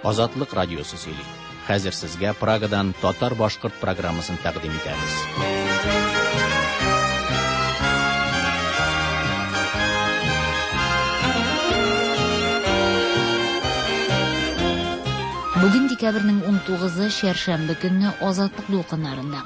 Азатлык радиосы сөйли. Хәзер сезгә Прагадан татар-башкорт программасын тәкъдим итәбез. Бүген декабрьнең 19-ы чәршәмбе көнне Азатлык дулкыннарында.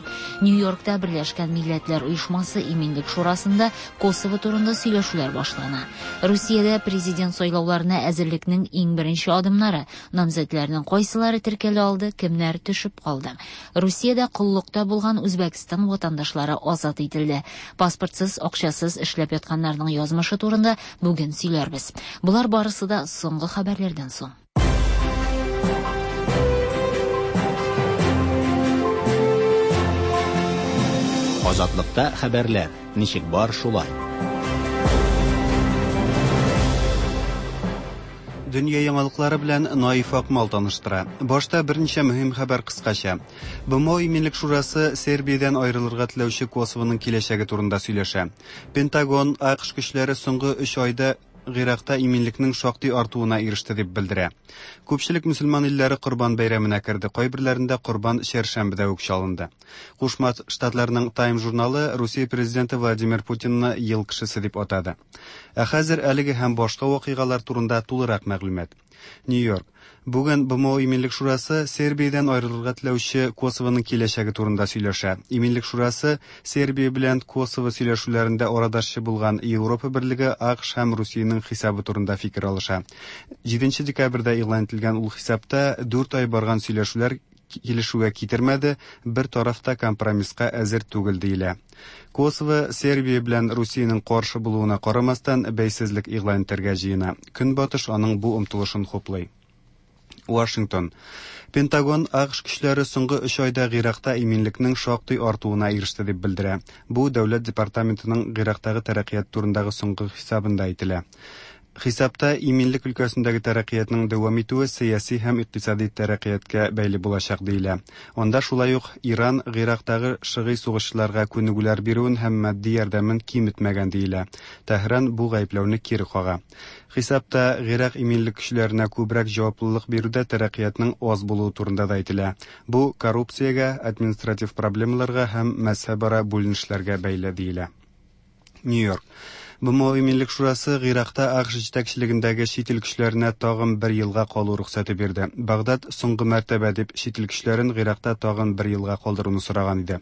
Нью-Йоркта Берләшкән Милләтләр Оешмасы Иминлек Шурасында Косово турында сөйләшүләр башлана. Русиядә президент сайлауларына әзерлекнең иң беренче адымнары. Намзәтләрнең кайсылары теркәлә алды, кемнәр төшеп калды. Русиядә коллыкта булган Үзбәкстан ватандашлары азат ителде. Паспортсыз, акчасыз эшләп ятканнарның язмышы турында бүген сөйләрбез. Болар барысы да соңгы хәбәрләрдән соң. Азатлыкта хәбәрләр ничек бар шулай. Дөнья яңалыклары белән Наиф Акмал таныштыра. Башта берничә мөһим хәбәр кыскача. БМО Иминлек шурасы Сербиядән аерылырга теләүче Косовоның киләчәге турында сөйләшә. Пентагон АКШ көчләре соңгы 3 айда Гыйракта иминлекнең шактый артуына иреште дип белдерә. Күпчелек мөселман илләре Корбан бәйрәменә керде, кайберләрендә корбан чәршәмбедә үк чалынды. Кушма Штатларның Time журналы Русия президенты Владимир Путинны ел кешесе дип атады. Ә хәзер әлеге һәм башка вакыйгалар турында тулырак мәгълүмат. Нью-Йорк. Бүген БМО Иминлек шурасы Сербиядән аерылырга теләүче Косовоның киләчәге турында сөйләшә. Иминлек шурасы Сербия белән Косово сөйләшүләрендә арадашчы булган Европа берлеге, АКШ һәм Русиянең хисабы турында фикер алыша. 7 декабрьдә игълан ителгән ул хисапта 4 ай барган сөйләшүләр килешүгә китермәде, бер тараф та компромисска әзер түгел диелә. Косово Сербия белән Русиянең каршы булуына карамастан бәйсезлек игълан итәргә җыена. Көнбатыш аның бу омтылышын хуплый. Вашингтон. Пентагон АКШ көчләре соңгы 3 айда Гыйракта иминлекнең шактый артуына иреште дип белдерә. Бу Дәүләт департаментының Гыйрактагы тәрәккыят турындагы соңгы хисабында әйтелә. Хисапта иминлек өлкәсендәге тәрәккыятның дәвам итүе сәяси һәм икътисади тәрәккыятка бәйле булачак диелә. Анда шулай ук Иран Гыйрактагы шыгый сугышчыларга күнегүләр бирүен һәм матди ярдәмен киметмәгән диелә. Тәһран бу гаепләүне кире кага. Хисапта Гыйрак иминлек көчләренә күбрәк җаваплылык бирүдә тәрәккыятның аз булуы турында да әйтелә. Бу коррупциягә, административ проблемаларга һәм мәзһәбара бүленешләргә бәйле диелә. Нью-Йорк. БМО Иминлек шурасы Гыйракта АКШ җитәкчелегендәге чит ил көчләренә тагын бер елга калу рөхсәте бирде. Багдад соңгы мәртәбә дип чит ил көчләрен Гыйракта тагын бер елга калдыруны сораган иде.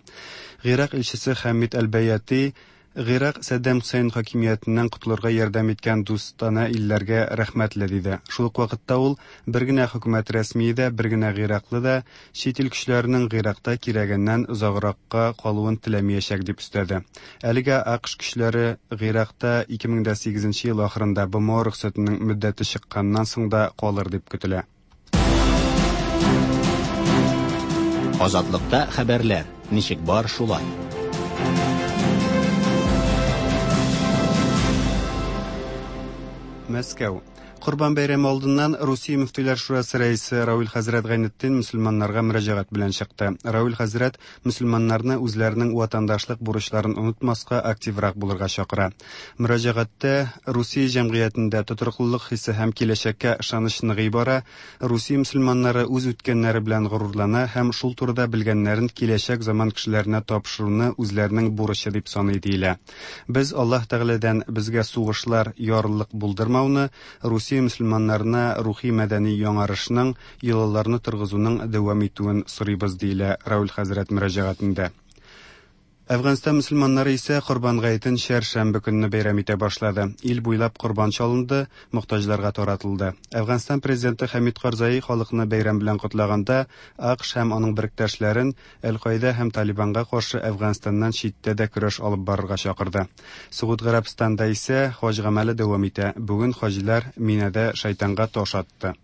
Гыйрак илчесе Хәмид Әл-Бәяти Гыйрак Сәддәм Хөсәен хакимиятеннән котылырга ярдәм иткән дустана илләргә рәхмәтле диде. Шул ук вакытта ул бер генә хөкүмәт рәсмие дә, бер генә гыйраклы да чит ил көчләренең Гыйракта кирәгеннән озагракка калуын теләмиячәк дип өстәде. Әлегә АКШ көчләре Гыйракта 2008 ел ахырында БМО рөхсәтенең мөддәте чыкканнан соң да калыр дип көтелә. Азатлыкта хәбәрләр ничек бар шулай. Мәскәү. Корбан бәйрәме алдыннан Русия мөфтиләр шурасы рәисе Равил хәзрәт Гайнетдин мөселманнарга мөрәҗәгать белән чыкты. Равил хәзрәт мөселманнарны үзләренең ватандашлык бурычларын онытмаска, активрак булырга чакыра. Мөрәҗәгатьтә Русия җәмгыятендә тотрыклылык хисе һәм киләчәккә ышаныч ныгый бара, Русия мөселманнары үз үткәннәре белән горурлана һәм шул турыда белгәннәрен киләчәк заман кешеләренә тапшыруны үзләренең бурычы дип саный диелә. Без Аллаһ Тәгаләдән безгә сугышлар, ярлылык булдырмауны, Русия мөселманнарына рухи-мәдәни яңарышның, йолаларны торгызуның дәвам итүен сорыйбыз диелә Равил хәзрәт мөрәҗәгатендә. Әфганстан мөселманнары исә Корбан гаетен чәршәмбе көнне бәйрәм итә башлады. Ил буйлап корбан чалынды, мохтаҗларга таратылды. Әфганстан президенты Хәмид Карзаи халыкны бәйрәм белән котлаганда, АКШ һәм аның беректәшләрен Әл-Каида һәм Талибанга каршы Әфганстаннан читтә дә көрәш алып барырга чакырды. Согуд Гарәбстанда исә хаҗ гамәле дәвам итә. Бүген хаҗилар Минәдә шайтанга таш атты.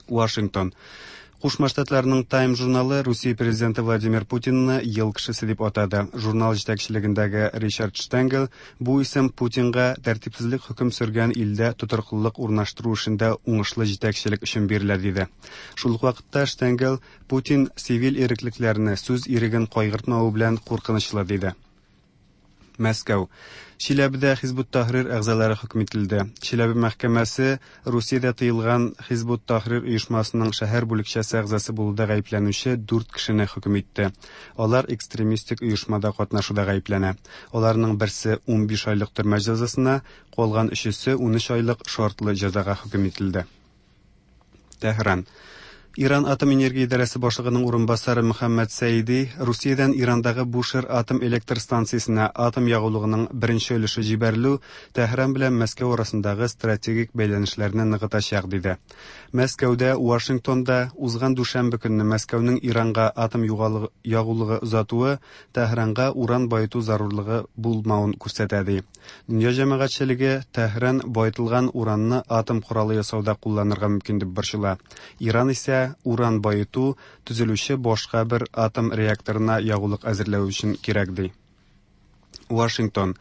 Вашингтон. Кушма Штатларның Time журналы Русия президенты Владимир Путинны ел кешесе дип атады. Журнал җитәкчелегендәге Ричард Штенгел бу исем Путинга тәртипсезлек хөкем сөргән илдә тотрыклылык урнаштыру эшендә уңышлы җитәкчелек өчен бирелә диде. Шул ук вакытта Штенгел Путин цивиль иреклекләрне, сүз иреген кайгыртмавы белән куркынычлы диде. Мәскәү. Чиләбедә Хизбут Тахрир әгъзалары хөкем ителде. Чиләбе мәхкәмәсе Русиядә тыелган Хизбут Тахрир оешмасының шәһәр бүлекчәсе әгъзасы булуда гаепләнүче дүрт кешене хөкем итте. Алар экстремистик оешмада катнашуда гаепләнә. Аларның берсе 15 айлык төрмә җәзасына, калган өчесе 13 айлык шартлы җәзага хөкем ителде. Тәһран. Иран атом энергия идарәсе башлыгының урынбасары Мөхәммәд Сәиди Русиядән Ирандагы Бушер атом электр станциясенә атом ягулыгының беренче өлеше җибәрелү Тәһран белән Мәскәү арасындагы стратегик бәйләнешләрне ныгытачак, диде. Мәскәүдә, Вашингтонда узган дүшәмбе көнне Мәскәүнең Иранга атом ягулыгы озатуы Тәһранга уран баету зарурлыгы булмавын күрсәтә, ди. Дөнья җәмәгатьчелеге Тәһран баетылган уранны атом коралы ясауда кулланырга мөмкин дип борчыла. Иран исә уран баету төзелүче башка бер атом реакторына ягулык әзерләү өчен кирәк ди. Вашингтон.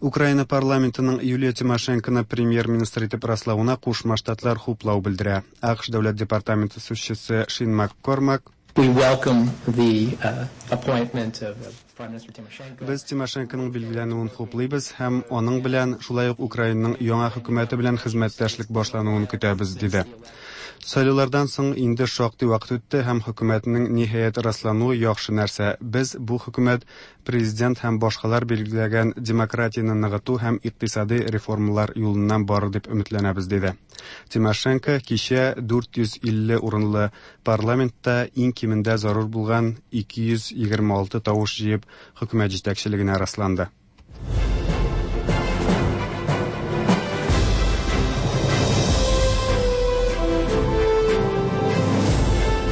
Украина парламентының Юлия Тимошенконы премьер-министр итеп раславына Кушма Штатлар хуплау белдерә. АКШ дәүләт департаменты сүзчесе Шин МакКормак We welcome the appointment of Prime Minister Tymoshenko. Без Тимошенконың билгеләнүен хуплыйбыз һәм аның белән, шулай ук Украинаның яңа хөкүмәте белән хезмәттәшлек башлануын көтәбез, диде. Сайлаулардан соң инде шактый вакыт үтте һәм хөкүмәтнең ниһаять раслануы яхшы нәрсә. Без бу хөкүмәт президент һәм башкалар билгеләгән демократияне ныгыту һәм икътисадый реформалар юлыннан барыр дип өметләнәбез, диде. Тимошенко кичә 450 урынлы парламентта иң кимендә зарур булган 226 тавыш җыеп, хөкүмәт җитәкчелегенә расланды.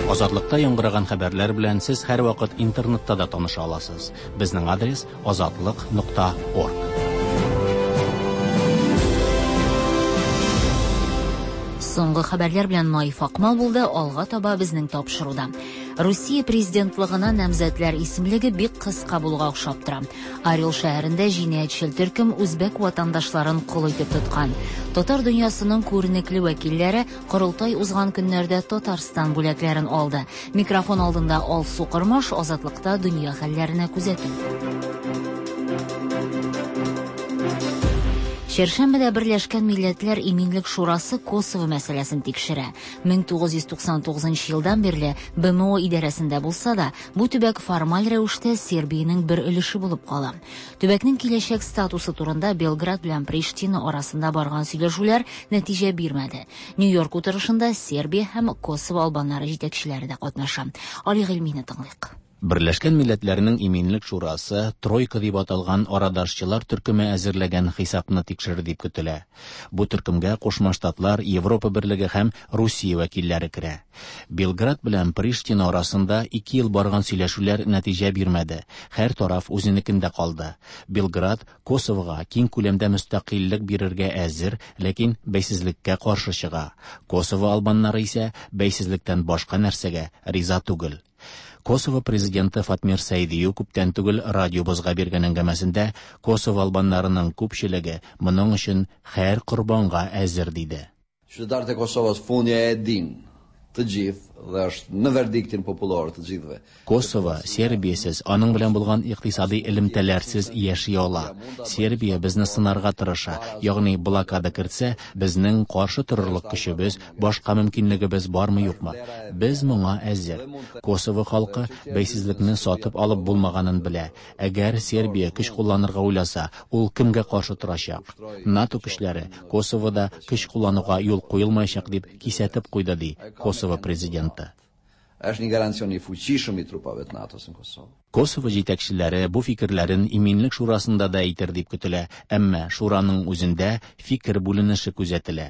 Азатлыкта яңгыраган хәбәрләр белән сез һәрвакыт интернетта да таныша аласыз. Безнең адрес азатлык.орг. Соңгы хәбәрләр белән Наиф Акмал булды, алга таба безнең тапшыруда. Русия президентлыгына намзәтләр исемлеге бик кыска булуга охшап тора. Орел шәһәрендә җинаятьчел төркем үзбәк ватандашларын кол итеп тоткан. Татар дөньясының күренекле вәкилләре Корылтай узган көннәрдә Татарстан бүләкләрен алды. Микрофон алдында Алсу Кормаш, Азатлыкта дөнья хәлләренә күзәтү. Чәршәмбедә Берләшкән Милләтләр Иминлек Шурасы Косово мәсьәләсен тикшерә. 1999 елдан бирле БМО идарәсендә булса да, бу төбәк формаль рәвештә Сербиянең бер өлеше булып кала. Төбәкнең киләчәк статусы турында Белград белән Приштина арасында барган сөйләшүләр нәтиҗә бирмәде. Нью-Йорк утырышында Сербия һәм Косово албаннары җитәкчеләре дә катнаша. Али Гыйльмине тыңлыйк. Берләшкән Милләтләрнең Иминлек Шурасы Тройка дип аталган арадашчылар төркеме әзерләгән хисапны тикшерер дип көтелә. Бу төркемгә Кушма Штатлар, Европа Берлеге һәм Русия вәкилләре керә. Белград белән Приштина арасында ике ел барган сөйләшүләр нәтиҗә бирмәде. Һәр тараф үзенекендә калды. Белград Косовога киң күләмдә мөстәкыйльлек бирергә әзер, ләкин бәйсезлеккә каршы чыга. Косово албаннары исә бәйсезлектән башка нәрсәгә риза түгел. Косово президенты Фатмир Сәйдиу күптән түгел радиобызга биргән әңгәмәсендә Косово албаннарының күпчелеге моның өчен һәр корбанга әзер диде. Qytetarët e Kosovës fundja e din të gjithë dhe është në verdiktin popullor të gjithëve. Косово Сербиясез, аның белән булган икътисади элемтәләрсез яши ала. Сербия безне сынарга тырыша, ягъни блокада кертсә, безнең каршы торырлык көчебез, башка мөмкинлегебез бармы юкмы? Без моңа әзер. Косово халкы бәйсезлекне сатып алып булмаганын белә. Әгәр Сербия көч кулланырга уйласа, ул кемгә каршы торачак? НАТО көчләре Косовода көч куллануга юл куелмаячак дип кисәтеп куйды, ди Косово президенты. Është një garancion i fuqishëm i trupave të NATO-s në Kosovë. Косово җитәкчеләре бу фикерләрен Иминлек шурасында да әйтер дип көтелә, әмма шураның үзендә фикер бүленеше күзәтелә.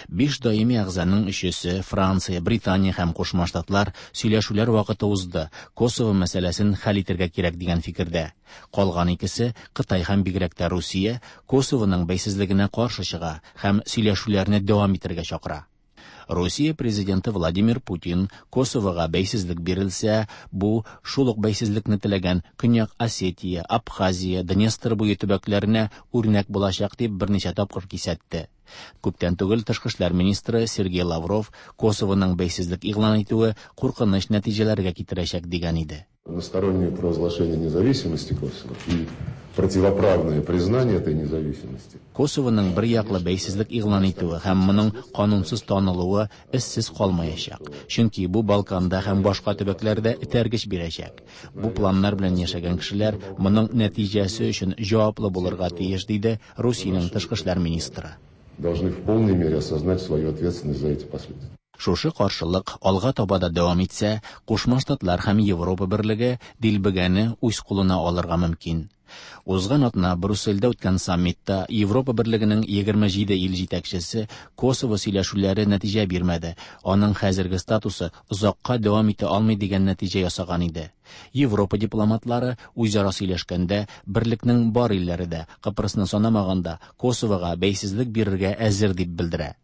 Биш даими әгъзаның өчесе Франция, Британия һәм Кушма Штатлар сөйләшүләр вакыты узды, Косово мәсьәләсен хәл итәргә кирәк дигән фикердә. Калган икесе Кытай һәм бигрәк тә Русия Косовоның бәйсезлегенә каршы чыга һәм сөйләшүләрне дәвам итәргә чакыра. Русия президенты Владимир Путин Косовога бәйсезлек бирелсә, бу шул ук бәйсезлекне теләгән Көньяк Осетия, Абхазия, Днестр буе төбәкләренә үрнәк булачак дип берничә тапкыр кисәтте. Күптән түгел тышкы эшләр министры Сергей Лавров Косовоның бәйсезлек игълан итүе куркыныч нәтиҗәләргә китерәчәк дигән иде. Одностороннее провозглашение независимости Косово и противоправное признание этой независимости. Косовоның бер яклы бәйсезлек игълан итүе һәм моның канунсыз танылуы эзсез калмаячак. Чөнки бу Балканда һәм башка төбәкләрдә этәргеч бирәчәк. Бу планнар белән яшәгән кешеләр моның нәтиҗәсе өчен җаваплы булырга тиеш, диде Русиянең тышкы эшләр министры. Должны в полной мере осознать свою ответственность за эти последствия. Шушы каршылык алга таба да дәвам итсә, Кушма Штатлар һәм Европа берлеге дилбегәне үз кулына алырга мөмкин. Узган атна Брюссельдә үткән саммитта Европа берлегенең 27 ил җитәкчесе Косово сөйләшүләре нәтиҗә бирмәде, аның хәзерге статусы озакка дәвам итә алмый дигән нәтиҗә ясаган иде. Европа дипломатлары үзара сөйләшкәндә берлекнең бар илләре дә, Кыпрысны санамаганда, Косовога бәйсезлек бирергә әзер дип белдерә.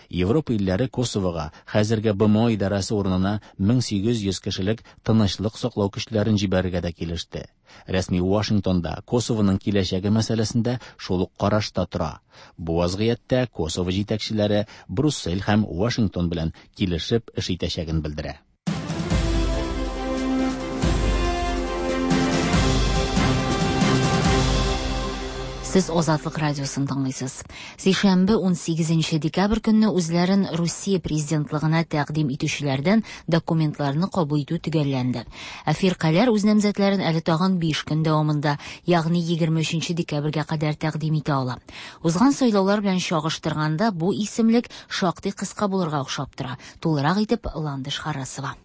Европа илләре Косовога хәзерге БМО идарәсе урынына 1800 кешелек тынычлык саклау көчләрен җибәрергә дә килеште. Рәсми Вашингтонда Косовоның киләчәге мәсьәләсендә шул ук карашта тора. Бу вазгыятьтә Косово җитәкчеләре Брюссель һәм Вашингтон белән килешеп эш итәчәген белдерә. Сез Азатлык радиосын тыңлыйсыз. Сишәмбе 18 декабрь көнне үзләрен Русия президентлыгына тәкъдим итүчеләрдән документларны кабул итү төгәлләнде. Ә фиркаләр үз намзәтләрен әле тагын 5 көн дәвамында, ягъни 23 декабрьгә кадәр тәкъдим итә ала. Узган сайлаулар белән чагыштырганда бу исемлек шактый кыска булырга охшап тора. Тулырак итеп Ландыш Харасова.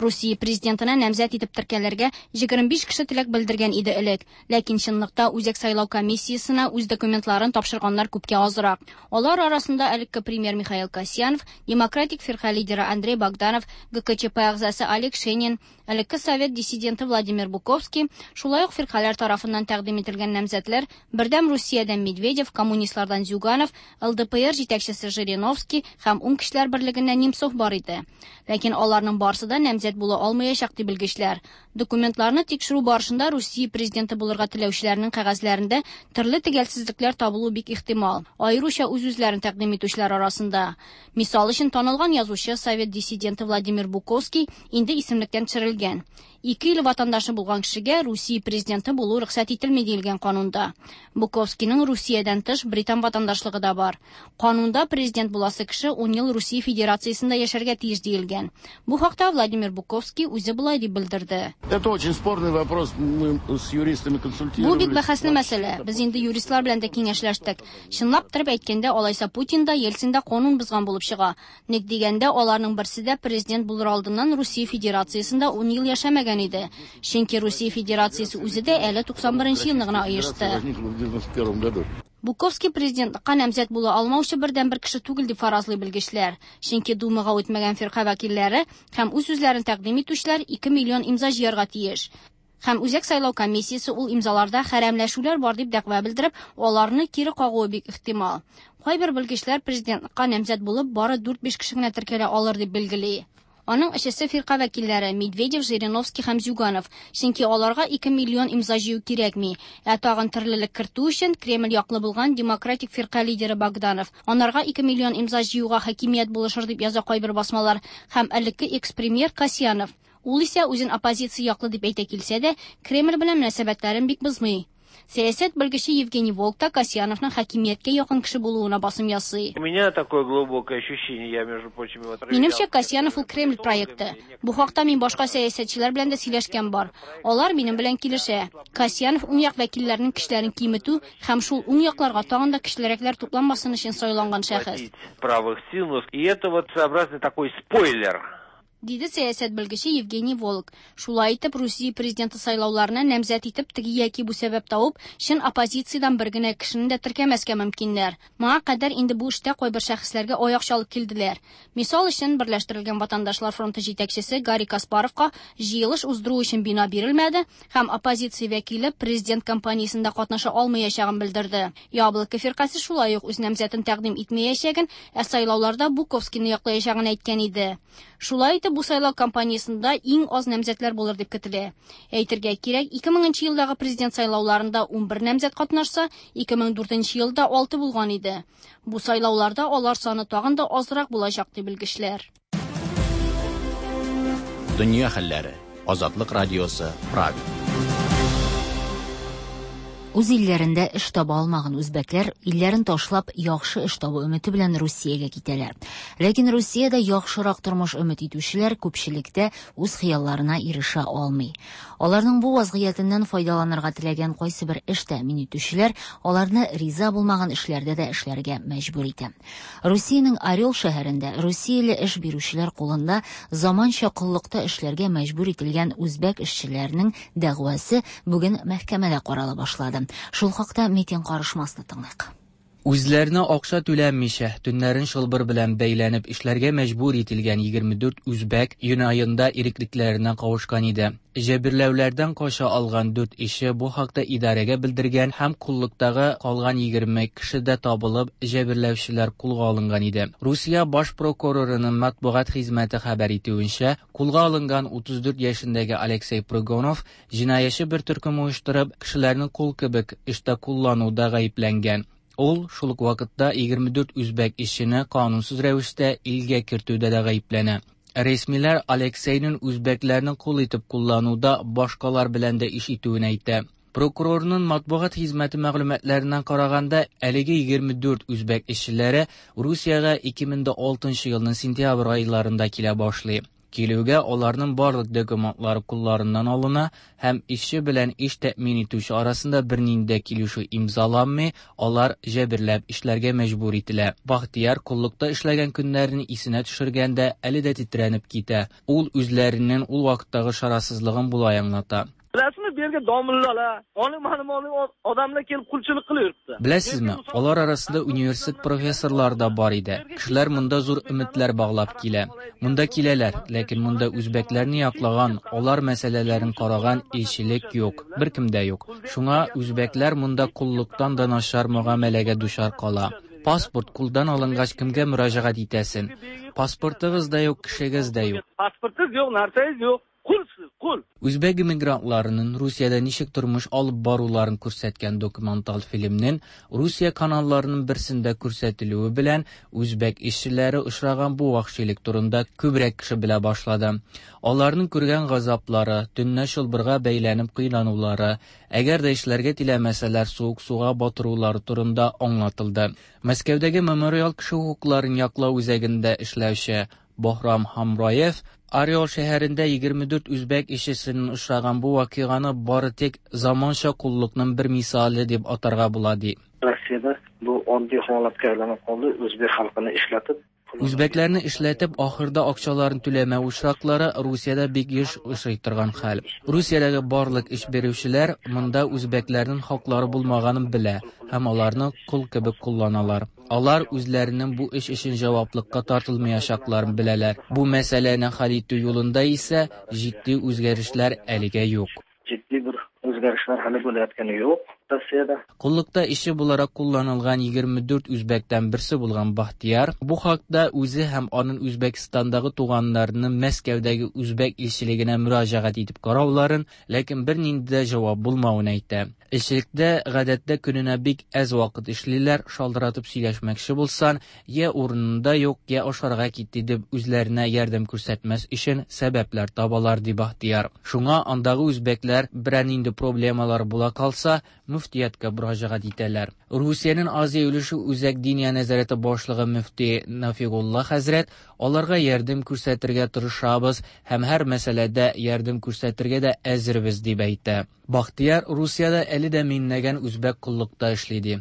Русия президентына намзәт итеп теркәлергә 25 кеше теләк белдергән иде элек. Ләкин чынлыкта Үзәк сайлау комиссиясенә үз документларын тапшырганнар күпкә азрак. Алар арасында элекке премьер Михаил Касьянов, демократик фирка лидеры Андрей Богданов, ГКЧП әгъзасы Олег Шенин, элекке совет диссиденты Владимир Буковский, шулай ук фиркаләр тарафыннан тәкъдим ителгән намзәтләр Бердәм Русиядән Медведев, коммунистлардан Зюганов, ЛДПР җитәкчесе Жириновский һәм Уң кешеләр берлегеннән Немцов бар иде. Ләкин аларның барысы да намзәт була алмаячак ди белгечләр. Документларны тикшерү барышында Русия президенты булырга теләүчеләрнең кәгазьләрендә төрле төгәлсезлекләр табылу бик ихтимал. Аеруча үз-үзләрен тәкъдим итүчеләр арасында. Мисал өчен танылган язучы, совет диссиденты Владимир Буковский инде исемлектән төшерелгән. Ике ил ватандашы булган кешегә Русия президенты булу рөхсәт ителми диелгән канунда. Буковскийның Русиядән тыш британ ватандашлыгы да бар. Канунда президент буласы кеше 10 ел Русия Федерациясендә яшәргә тиеш диелгән. Бу хакта Владимир Буковский үзе болай дип белдерде. Это очень спорный вопрос, мы с юристами консультировались. Бу бик бәхәсле мәсьәлә. Без инде юристлар белән дә киңәшләштек. Чынлап торып әйткәндә, алайса Путин да, Ельцин да канун бозган булып чыга. Ник дигәндә, аларның берсе дә президент булыр алдыннан Русия Федерациясендә 10 ел яшәмәгән иде. Чөнки Русия Федерациясе үзе дә әле 91 елны гына оешты. Буковский президентлыкка намзәт була алмаучы бердән-бер кеше түгел дип фаразлый белгечләр. Чөнки Думага үтмәгән фирка вәкилләре һәм үз-үзләрен тәкъдим итүчеләр 2 миллион имза җыярга тиеш. Һәм Үзәк сайлау комиссиясе ул имзаларда хәрәмләшүләр бар дип дәгъва белдереп, аларны кире кагуы бик ихтимал. Кайбер белгечләр президентлыкка намзәт булып бары 4-5 кеше генә теркәлә алыр дип билгели. Аның эшесе фирка вәкилләре Медведев, Жириновский һәм Зюганов, чөнки аларга 2 миллион имза җыю кирәкми. Ә тагын төрлелек кертү өчен Кремль яклы булган демократик фирка лидеры Богданов. Анарга 2 миллион имза җыюга хакимият булышыр дип яза кайбер басмалар һәм элекке экс-премьер Касьянов. Ул исә үзен оппозиция яклы дип әйтә килсә дә, Кремль белән мөнәсәбәтләрен бик бозмый. Сәясәт белгече Евгений Волк та Касьяновның хакимияткә якын кеше булуына басым ясый. У меня такое глубокое ощущение, я, между прочим, его проверял. Минемчә, Касьянов ул Кремль проекты. Бу хакта мин башка сәясәтчеләр белән дә сөйләшкән бар. Алар минем белән килешә. Касьянов уң як вәкилләренең көчләрен киметү һәм шул уң якларга тагын да көчлерәкләр тупланмасын өчен сайланган шәхес. Правых сил, и это вот своеобразный такой спойлер. Диде сәясәт белгече Евгений Волк. Шулай итеп, Русия президенты сайлауларына намзәт итеп теге яки бу сәбәп табып, чын оппозициядән бер генә кешене дә теркәмәскә мөмкиннәр. Моңа кадәр инде бу эштә кайбер шәхесләргә аяк чалып килделәр. Мисал өчен, Берләштерелгән ватандашлар фронты җитәкчесе Гарри Каспаровка җыелыш уздыру өчен бина бирелмәде һәм оппозиция вәкиле президент кампаниясендә катнаша алмаячагын белдерде. Яблоко фиркасе шулай ук үз намзәтен тәкъдим итмәячәген, ә сайлауларда Буковскийны яклаячагын әйткән иде. Шулай итеп, бу сайлау кампаниясендә иң аз намзәтләр булыр дип көтелә. Әйтергә кирәк, 2000 елдагы президент сайлауларында 11 намзәт катнашса, 2004 елда 6 булган иде. Бу сайлауларда алар саны тагын да азрак булачак ди белгечләр. Дөнья хәлләре. Азатлык радиосы, Прага. Үз илләрендә эш таба алмаган үзбәкләр илләрен ташлап, яхшы эш табу өмете белән Русиягә китәләр. Ләкин Русиядә яхшырак тормыш өмет итүчеләр күпчелектә үз хыялларына ирешә алмый. Аларның бу вазгыятеннән файдаланырга теләгән кайсыбер эш тәэмин итүчеләр аларны риза булмаган эшләрдә дә эшләргә мәҗбүр итә. Русиянең Орел шәһәрендә русияле эш бирүчеләр кулында заманча коллыкта эшләргә мәҗбүр ителгән үзбәк эшчеләренең дәгъвасы бүген мәхкәмәдә карала башлады. Шул хакта Метин Карышмасны тыңлыйк. Үзләренә акча түләнмичә, төннәрен чылбыр белән бәйләнеп эшләргә мәҗбүр ителгән 24 үзбәк июнь аенда иреклекләренә кавышкан иде. Җәберләүләрдән кача алган дүрт ишче бу хакта идарәгә белдергән һәм коллыктагы калган 20 кеше дә табылып, җәберләүчеләр кулга алынган иде. Русия баш прокурорының матбугат хезмәте хәбәр итүенчә, кулга алынган 34 яшендәге Алексей Прыгунов җинаятьче бер төркем оештырып, кешеләрне кол кебек эштә куллануда гаепләнгән. Ул шул ук вакытта 24 үзбәк эшчене канунсыз рәвештә илгә кертүдә дә гаепләнә. Рәсмиләр Алексейның үзбәкләрне кул итеп куллануда башкалар белән дә эш итүен әйтә. Прокурорның матбугат хезмәте мәгълүматларына караганда, әлеге 24 үзбәк эшчеләре Русиягә 2006 елның сентябрь айларында килә башлый. Килүгә аларның барлык документлары кулларыннан алына һәм эшче белән эш тәэмин итүче арасында бернинди дә килешү имзаланмый, алар җәберләп эшләргә мәҗбүр ителә. Бахтияр коллыкта эшләгән көннәрен исенә төшергәндә әле дә тетрәнеп китә. Ул үзләренең ул вакыттагы чарасызлыгын болай аңлата. Bilasizmi, bu yerga domlalar, oliy ma'lumotli odamlar kelib qulchilik qilib yuribdi. Беләсезме, алар арасында университет профессорлары да бар иде. Кешеләр монда зур өметләр баглап килә. Монда киләләр, ләкин монда үзбәкләрне яклаган, алар мәсьәләләрен караган илчелек юк, беркем дә юк. Шуңа үзбәкләр монда коллыктан да начар мөгамәләгә дучар кала. Паспорт кулдан алынгач кемгә мөрәҗәгать итәсең? Паспортыгыз да юк, кешегез дә юк. Pasportingiz yo'q, narsangiz yo'q. Qulsiz, qul. Үзбәк иммигрантларының Русиядә ничек тормыш алып баруларын күрсәткән документаль фильмнең Русия каналларының берсендә күрсәтелүе белән үзбәк эшчеләре очраган бу вәхшилек турында күбрәк кеше белә башлады. Аларның күргән газаплары, төнлә чылбырга бәйләнеп кыйнанулары, әгәр дә эшләргә теләмәсәләр суык суга батырулары турында аңлатылды. Мәскәүдәге Мемориал кеше хокукларын яклау үзәгендә эшләүче Баһрам Хамраев Орел шәһәрендә 24 үзбәк эшчесенең очраган бу вакыйганы бары тик заманча коллыкның бер мисалы дип атарга була ди. Rossiyada bu oddiy holatga aylanib qoldi. O'zbek xalqini ishlatib Үзбәкләрне эшләтеп, ахырда акчаларын түләмәү очраклары Русиядә бик еш очрый торган хәл. Русиядәге барлык эш бирүчеләр монда үзбәкләрнең хаклары булмаганын белә һәм аларны кол кебек кулланалар. Алар үзләренең бу эш өчен җаваплыкка тартылмаячакларын беләләр. Бу мәсьәләне хәл итү юлында исә җитди үзгәрешләр әлегә юк. Jiddiy bir o'zgarishlar hali bo'layotgani yo'q Rossiyada. Коллыкта эшче буларак кулланылган 24 үзбәктән берсе булган Бахтияр бу хакта үзе һәм аның Үзбәкстандагы туганнарының Мәскәүдәге үзбәк илчелегенә мөрәҗәгать итеп карауларын, ләкин бернинди дә җавап булмавын әйтә. Илчелектә гадәттә көненә бик әз вакыт эшлиләр, шалтыратып сөйләшмәкче булсан, я урынында юк, я ашарга китте дип үзләренә ярдәм күрсәтмәс өчен сәбәпләр табалар, ди Бахтияр. Шуңа андагы үзбәкләр берәр нинди проблемалар була калса, мөфтияткә мөрәҗәгать итәләр. Русиянең Азия өлеше Үзәк Диния нәзарәте башлыгы мөфти Нафигулла хәзрәт аларга ярдәм күрсәтергә тырышабыз һәм һәр мәсьәләдә ярдәм күрсәтергә дә әзербез дип әйтә. Бахтияр Русиядә әле дә меңләгән үзбәк коллыкта эшли ди.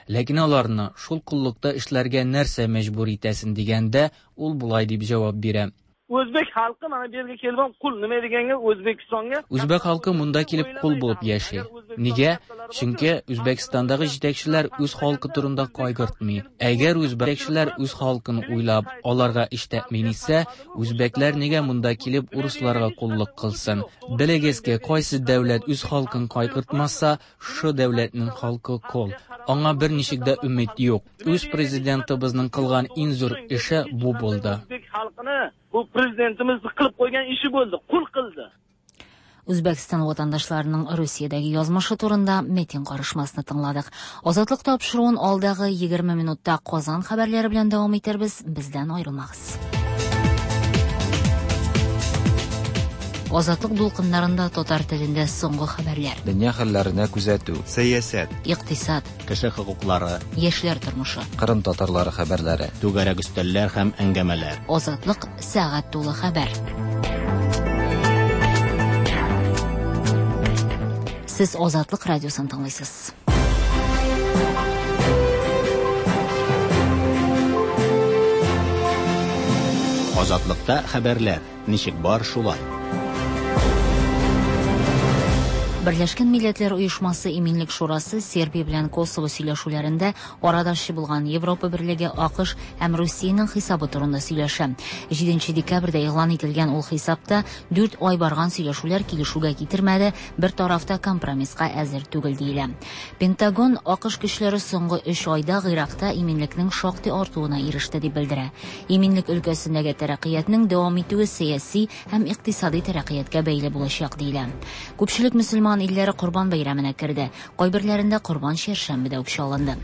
Ләкин аларны шул коллыкта эшләргә нәрсә мәҗбүр итәсен дигәндә, ул болай дип җавап бирә. O'zbek xalqi mana bu yerga kelib ham qul, nima deganga O'zbekistonga Үзбәк халкы монда килеп кул булып яши. Нигә? Чөнки Үзбәкстандагы җитәкчеләр үз халкы турында кайгыртмый. Әгәр үзбәкчеләр үз халкын уйлап, аларга эш тәэмин итсә, үзбәкләр нигә монда килеп урысларга коллык кылсын? Белегез ки, кайсы дәүләт үз халкын кайгыртмаса, шу дәүләтнең халкы кол. Аңа берничек дә өмет юк. Үз президентыбызның кылган иң зур эше бу булды. O'zbek xalqini bu prezidentimiz qilib qo'ygan ishi bo'ldi, qul qildi. Үзбәкстан ватандашларының Русиядәге язмышы турында Метин карышмасны тыңладык. Азатлык тапшыруын алдагы 20 минутта Казан хәбәрләре белән дәвам итәрбез. Бездән аерылмагыз. Азатлык дулкыннарында татар телендә соңгы хәбәрләр. Дөнья хәлләренә күзәтү. Сәясәт. Икътисад. Кеше хокуклары. Яшьләр тормышы. Кырым татарлары хәбәрләре. Түгәрәк өстәлләр һәм әңгәмәләр. Азатлык сәгать тулы хәбәр. Сез Азатлык радиосын тыңлыйсыз. Азатлыкта хәбәрләр ничек бар шулай. Берләшкән Милләтләр Оешмасы Иминлек Шурасы Сербия белән Косово сөйләшүләрендә арадашчы булган Европа Берлеге, АКШ һәм Русиянең хисабы турында сөйләшә. 7 декабрьдә игълан ителгән ул хисапта 4 ай барган сөйләшүләр килешүгә китермәде, бер тараф та компромисска әзер түгел диелә. Пентагон АКШ көчләре соңгы 3 айда Гыйракта иминлекнең шактый артуына иреште дип белдерә. Иминлек өлкәсендәге тәрәккыятьнең дәвам итүе сәяси һәм икътисади тәрәккыятькә бәйле булачак диелә. Күпчелек мөселман илләре Корбан бәйрәменә керде. Кайберләрендә Корбан чәршәмбедә үк чалынды.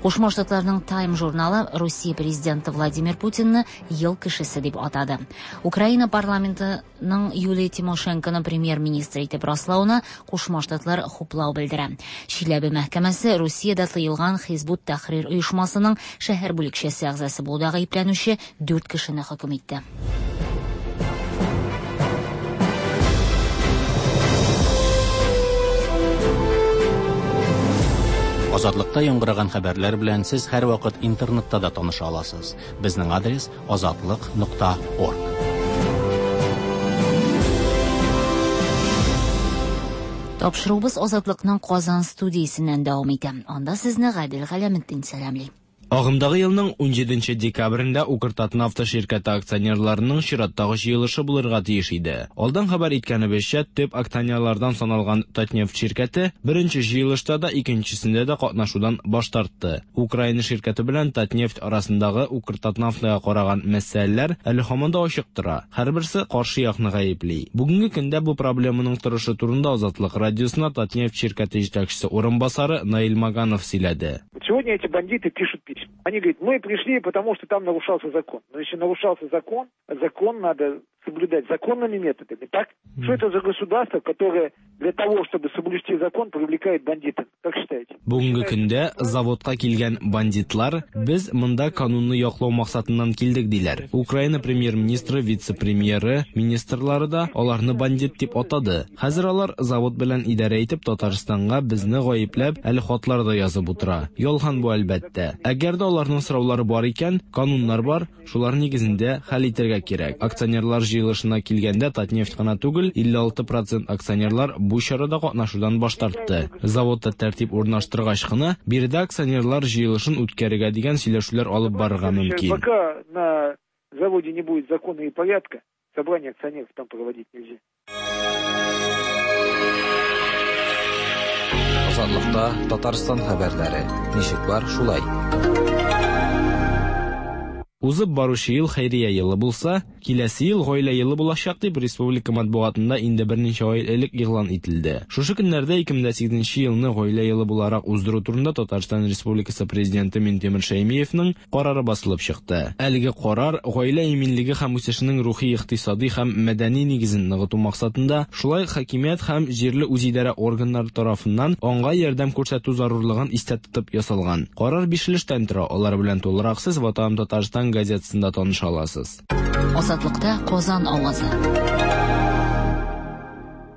Кушма Штатларның Time журналы Русия президенты Владимир Путинны ел кешесе дип атады. Украина парламентының Юлия Тимошенконы премьер-министр итеп раслауына Кушма Штатлар хуплау белдерә. Чиләбе мәхкәмәсе Русиядә тыелган Хизбут Тәхрир оешмасының шәһәр бүлекчәсе әгъзасы булуда гаепләнүче 4 кешене хөкем итте. Азатлыкта яңгыраган хәбәрләр белән сез һәрвакыт интернетта да таныша аласыз. Безнең адрес azatliq.org. Тапшыруыбыз Азатлыкның Казан студиясеннән дәвам итә. Анда сезне Гадел Галәметдин сәламли. Агымдагы елның 17 декабрендә Укртатнафта ширкәте акционерларының чираттагы җыелышы булырга тиеш иде. Алдан хәбәр иткәнебезчә, төп акционерлардан саналган Татнефть ширкәте беренче җыелышта да, икенчесендә дә катнашудан баш тартты. Украина ширкәте белән Татнефть арасындагы Укртатнафтага караган мәсьәләләр әле һаман да ачык тора. Һәрберсе каршы якны гаепли. Бүгенге көндә бу проблеманың торышы турында Азатлык радиосына Татнефть ширкәте җитәкчесе урынбасары Наил Маганов сөйләде. Сегодня эти бандиты пишут письма. Они говорят, мы пришли, потому что там нарушался закон. Но если нарушался закон, закон надо соблюдать законными методами, так? Что это за государство, которое для того, чтобы соблюсти закон, привлекает бандитов? Как считаете? Бүгенге көндә заводка килгән бандитлар без монда канунны яклау максатыннан килдек диләр. Украина премьер-министры, вице-премьеры, министрлары да аларны бандит дип атады. Хәзер алар завод белән идарә итеп Татарстанга безне гаепләп әле хатлар да язып утыра. Ялган бу әлбәттә. Әгәр дә аларның сораулары бар икән, кануннар бар, шулар нигезендә хәл итәргә кирәк. Акционерлар җыелышына килгәндә Татнефть кына түгел, 56% акционерлар бу чарада катнашудан баш тартты. Заводта тәртип урнаштыргач кына биредә акционерлар җыелышын үткәрергә дигән сөйләшүләр алып барырга мөмкин. Пока на заводе не будет закона и порядка, собрание акционеров там проводить нельзя. Азатлыкта Татарстан хәбәрләре. Ничек бар, шулай. Узып баручы ел хәйрия елы булса, киләсе ел гаилә елы булачак дип республика матбугатында инде берничә ай элек игълан ителде. Шушы көннәрдә 2008 елны гаилә елы буларак уздыру турында Татарстан Республикасы президенты Минтимер Шәймиевның карары басылып чыкты. Әлеге карар гаилә иминлеге һәм үсешенең рухи, икътисади һәм мәдәни нигезен ныгыту максатында, шулай хакимият һәм җирле үзидарә органнары тарафыннан аңга ярдәм күрсәтү зарурлыгын истә тотып ясалган. Карар биш өлештән тора. Алар белән тулырак сез Ватаным Татарстан газетасында таныша аласыз. Азатлыкта Казан авазы.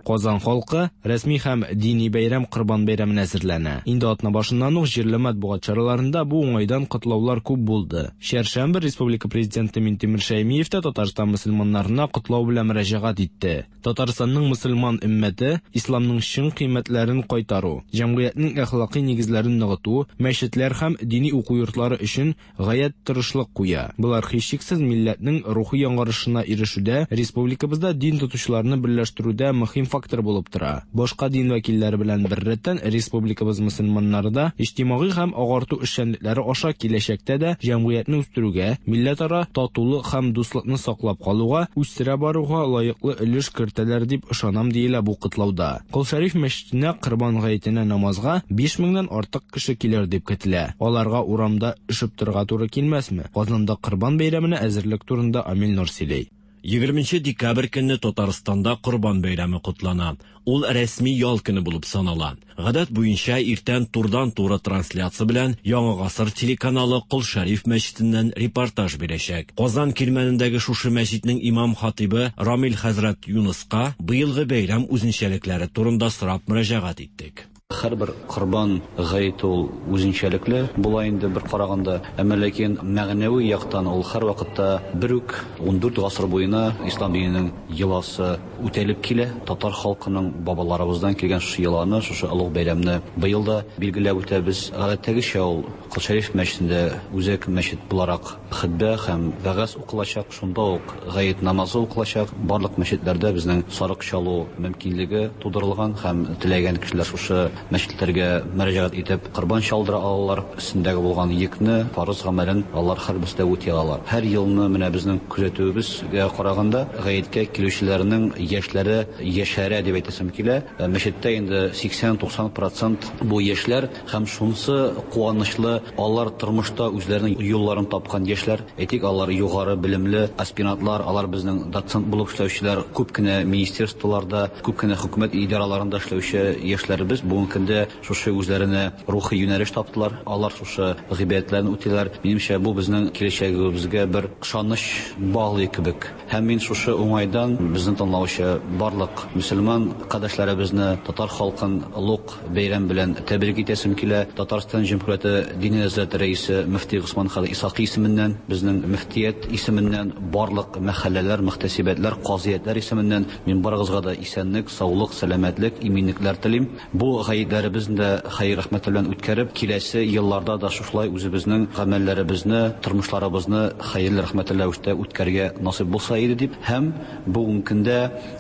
Казан халкы рәсми һәм дини бәйрәм Корбан бәйрәменә әзерләнә. Инде атна башыннан ук җирле матбугат чараларында бу уңайдан котлаулар күп булды. Чәршәмбе Республика президенты Минтимер Шәймиев тә Татарстан мөселманнарына котлау белән мөрәҗәгать итте. Татарстанның мөселман өммәте исламның чын кыйммәтләрен кайтару, җәмгыятьнең әхлакый нигезләрен ныгыту, мәчетләр һәм дини уку йортлары өчен гаять тырышлык куя. Болар һичшиксез милләтнең рухи яңарышына ирешүдә, республикабызда дин тотучыларны берләштерүдә мөһим фактор булып тора. Башка дин вәкилләре белән беррәттән республикабыз мөселманнары да иҗтимагый һәм агарту эшчәнлекләре аша киләчәктә дә җәмгыятьне үстерүгә, милләтара татулык һәм дуслыкны саклап калуга, үстерә баруга лаеклы өлеш кертәләр дип ышанам диелә бу котлауда. Кол Шәриф мәчетенә Корбан гаетенә намазга 5000-нән артык кеше килер дип көтелә. Аларга урамда өшеп торырга туры килмәсме? Казанда Корбан бәйрәменә әзерлек турында Амил Нур сөйли. 20 декабрь көнне Татарстанда Корбан бәйрәме котлана. Ул рәсми ял көне булып санала. Гадәт буенча иртән турыдан-туры трансляция белән Яңа гасыр телеканалы Кол Шәриф мәчетеннән репортаж бирәчәк. Казан кирмәнендәге шушы мәчетнең имам-хатыйбы Рамил хәзрәт Юныска быелгы бәйрәм үзенчәлекләре турында сорап мөрәҗәгать иттек. Һәрбер Корбан гаете ул үзенчәлекле була инде бер караганда, әмма ләкин мәгънәви яктан ул һәрвакытта бер үк, 14 гасыр буена ислам диненең йоласы үтәлеп килә. Татар халкының бабаларыбыздан килгән шушы йоланы, шушы олуг бәйрәмне быел да билгеләп үтәбез. Гадәттәгечә ул Кол Шәриф мәчетендә үзәк мәчет буларак хөтбә һәм вәгазь укылачак, шунда ук гает намазы укылачак. Барлык мәчетләрдә безнең сарык чалу мөмкинлеге тудырылган һәм теләгән кешеләр шушы мәчетләргә мөрәҗәгать итеп корбан чалдыра алалар. Өстендәге булган йөкне, фарыз гамәлен алар һәрберсе дә үти алалар. Һәр елны менә безнең күзәтүебезгә караганда, гаеткә килүчеләрнең яшьләре яшәрә дип әйтәсем килә. Мәчеттә инде 80-90 процент бу яшьләр. Һәм шунысы куанычлы, алар тормышта үзләренең юлларын тапкан яшьләр. Әйтик, алар югары белемле аспирантлар, алар безнең доцент булып эшләүчеләр, күп кенә министерстволарда, күп кенә хөкүмәт идараларында эшләүче яшьләребез бүгенге көндә шушы үзләренә рухи юнәлеш таптылар, алар шушы гыйбадәтләрне үтиләр. Минемчә, бу безнең киләчәгебезгә бер ышаныч баглый кебек. Һәм мин шушы уңайдан безне тыңлаучы барлык мөселман кардәшләребезне, татар халкын олуг бәйрәм белән тәбрик итәсем килә. Татарстан Җөмһүрияте Диния нәзарәте рәисе мөфти Госман хәзрәт Исхакый исеменнән, безнең мөфтият исеменнән, барлык мәхәлләләр, мөхтәсибәтләр, казыятләр исеменнән мин барыгызга да исәнлек, саулык, сәламәтлек, иминлекләр телим. Бу гаетләребезне дә хәер-рәхмәтләр белән үткәреп, киләсе елларда да шушылай үзебезнең гамәлләребезне, тормышларыбызны хәерле-рәхмәтле рәвештә үткәрергә насыйп булса иде дип һәм бүгенге көндә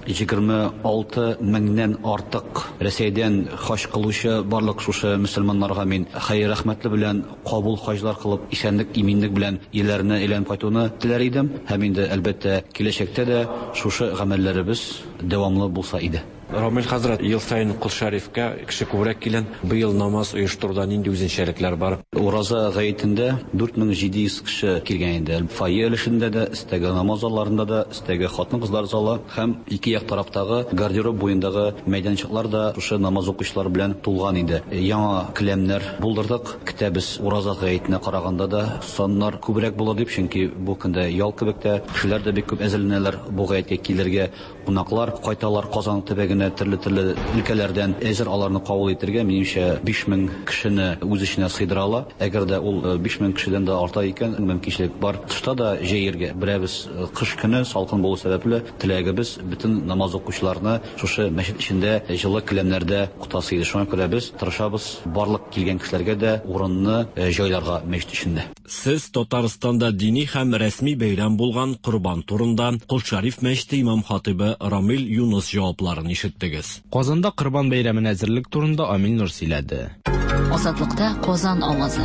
26 меңнән артык Рәсәйдән хаҗ кылучы барлык шушы мөселманнарга мин хәер-рәхмәтле белән кабул хаҗлар кылып, исәнлек, иминлек белән өйләренә әйләнеп кайтуны теләр идем һәм инде, әлбәттә, киләчәктә дә шушы гамәлләребез дәвамлы булса иде. Рамил хәзрәт, ел саен Кол Шәрифкә кеше күбрәк килә. Быел намаз оештыруда нинди үзенчәлекләр бар? Ураза гаетендә 4700 кеше килгән иде. Фойе өлешендә дә, өстәге намаз залларында да, өстәге хатын-кызлар залы һәм ике як тарафтагы гардероб буендагы мәйданчыклар да шушы намаз укучылар белән тулган иде. Яңа келәмнәр булдырдык. Көтәбез, Ураза гаетенә караганда да саннар күбрәк булыр дип, чөнки бу көндә ял кебек тә, кешеләр дә бик күп әзерләнәләр бу гаеткә килергә. Кунаклар кайталар Казан төбәгенә төрле-төрле өлкәләрдән. Әзер аларны кабул итергә, минемчә, 5000 кешене үз эченә сыйдыра ала. Әгәр дә ул 5000 кешедән дә арта икән, мөмкинчелек бар тышта да җәергә. Беләбез, кыш көне салкын булу сәбәпле, теләгебез, бөтен намаз укучыларны шушы мәчет эчендә җылы келәмнәрдә укытасы иде. Шуңа күрә без тырышабыз барлык килгән кешеләргә дә урынны җайларга мәчет эчендә. Сез Татарстанда дини һәм рәсми бәйрәм булган Корбан турында Кол Шәриф мәчете имам-хатыйбы Рамил Юныс җавапларын ишеттегез. Казанда Корбан бәйрәменә әзерлек турында Амил Нур сөйләде. Азатлыкта Казан авазы.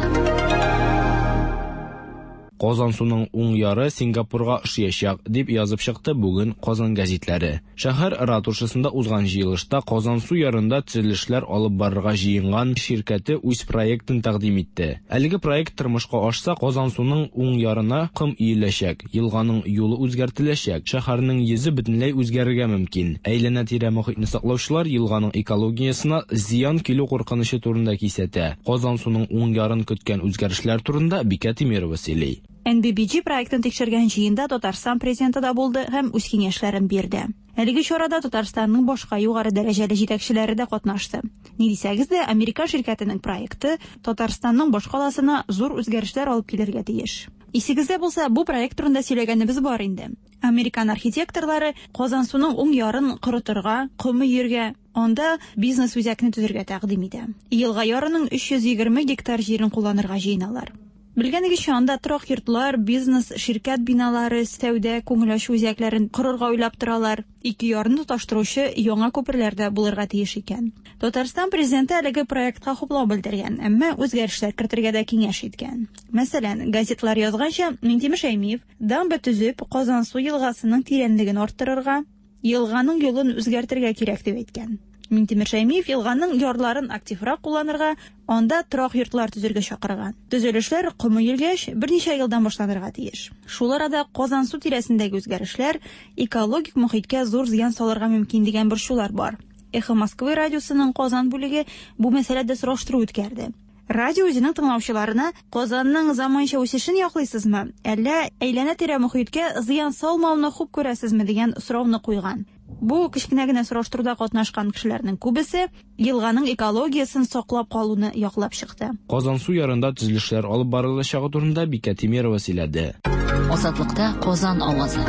Казансуның уң яры Сингапурга ошыячак, дип язып чыкты бүген Казан гәзитләре. Шәһәр ратушасында узган җыелышта Казансу ярында төзелешләр алып барырга җыенган ширкәте үз проектын тәкъдим итте. Әлеге проект тормышка ашса, Казансуның уң ярына ком өеләчәк, елганың юлы үзгәртеләчәк, шәһәрнең йөзе бөтенләй үзгәрергә мөмкин. Әйләнә-тирә мохитне саклаучылар елганың экологиясенә зыян килү куркынычы турында кисәтә. Казансуның уң ярын көткән үзгәрешләр турында Бикә Тимерова сөйли. NBBG проектын тикшергән җыенда Татарстан Президенты да булды һәм үз киңәшләрен бирде. Әлеге чарада Татарстанның башка югары дәрәҗәле җитәкчеләре дә катнашты. Ни дисәгез дә, американ ширкәтенең проекты Татарстанның башкаласына зур үзгәрешләр алып килергә тиеш. Исегездә булса, бу проект турында сөйләгәнебез бар инде. Американ архитекторлары Казансуның уң ярын корытырга, ком өергә, анда бизнес-үзәкне төзергә тәкъдим итә. Елга ярының 320 гектар җирен кулланырга җыеналар. Белгәнегезчә, анда торак йортлар, бизнес, ширкәт биналары, сәүдә, күңел ачу үзәкләрен корырга уйлап торалар. Ике ярны тоташтыручы яңа күперләр дә булырга тиеш икән. Татарстан Президенты әлеге проектка хуплау белдергән, әмма үзгәрешләр кертергә дә киңәш иткән. Мәсәлән, газетлар язганча, Миңтимер Шәймиев дамба төзеп, Казансу елгасының тирәнлеген арттырырга, елганың юлын үзгәртергә кирәк дип әйткән. Минтимер Шәймиев елганың ярларын активрак кулланырга, анда торак йортлар төзергә чакырган. Төзелешләр ком өелгәч, берничә елдан башланырга тиеш. Шул арада Казансу тирәсендәге үзгәрешләр экологик мохиткә зур зыян салырга мөмкин дигән борчулар бар. Эхо Москвы радиосының Казан бүлеге бу мәсьәләдә сораштыру үткәрде. Радио үзенең тыңлаучыларына Казанның заманча үсешен яклыйсызмы, әллә әйләнә-тирә мохиткә зыян салмауны хуп күрәсезме дигән сорауны куйган. Бу кечкенә генә сораштыруда катнашкан кешеләрнең күбесе елганың экологиясен саклап калуны яклап чыкты. Казансу ярында төзелешләр алып барылачагы турында Бикә Тимерова сөйләде. Азатлыкта Казан авазы.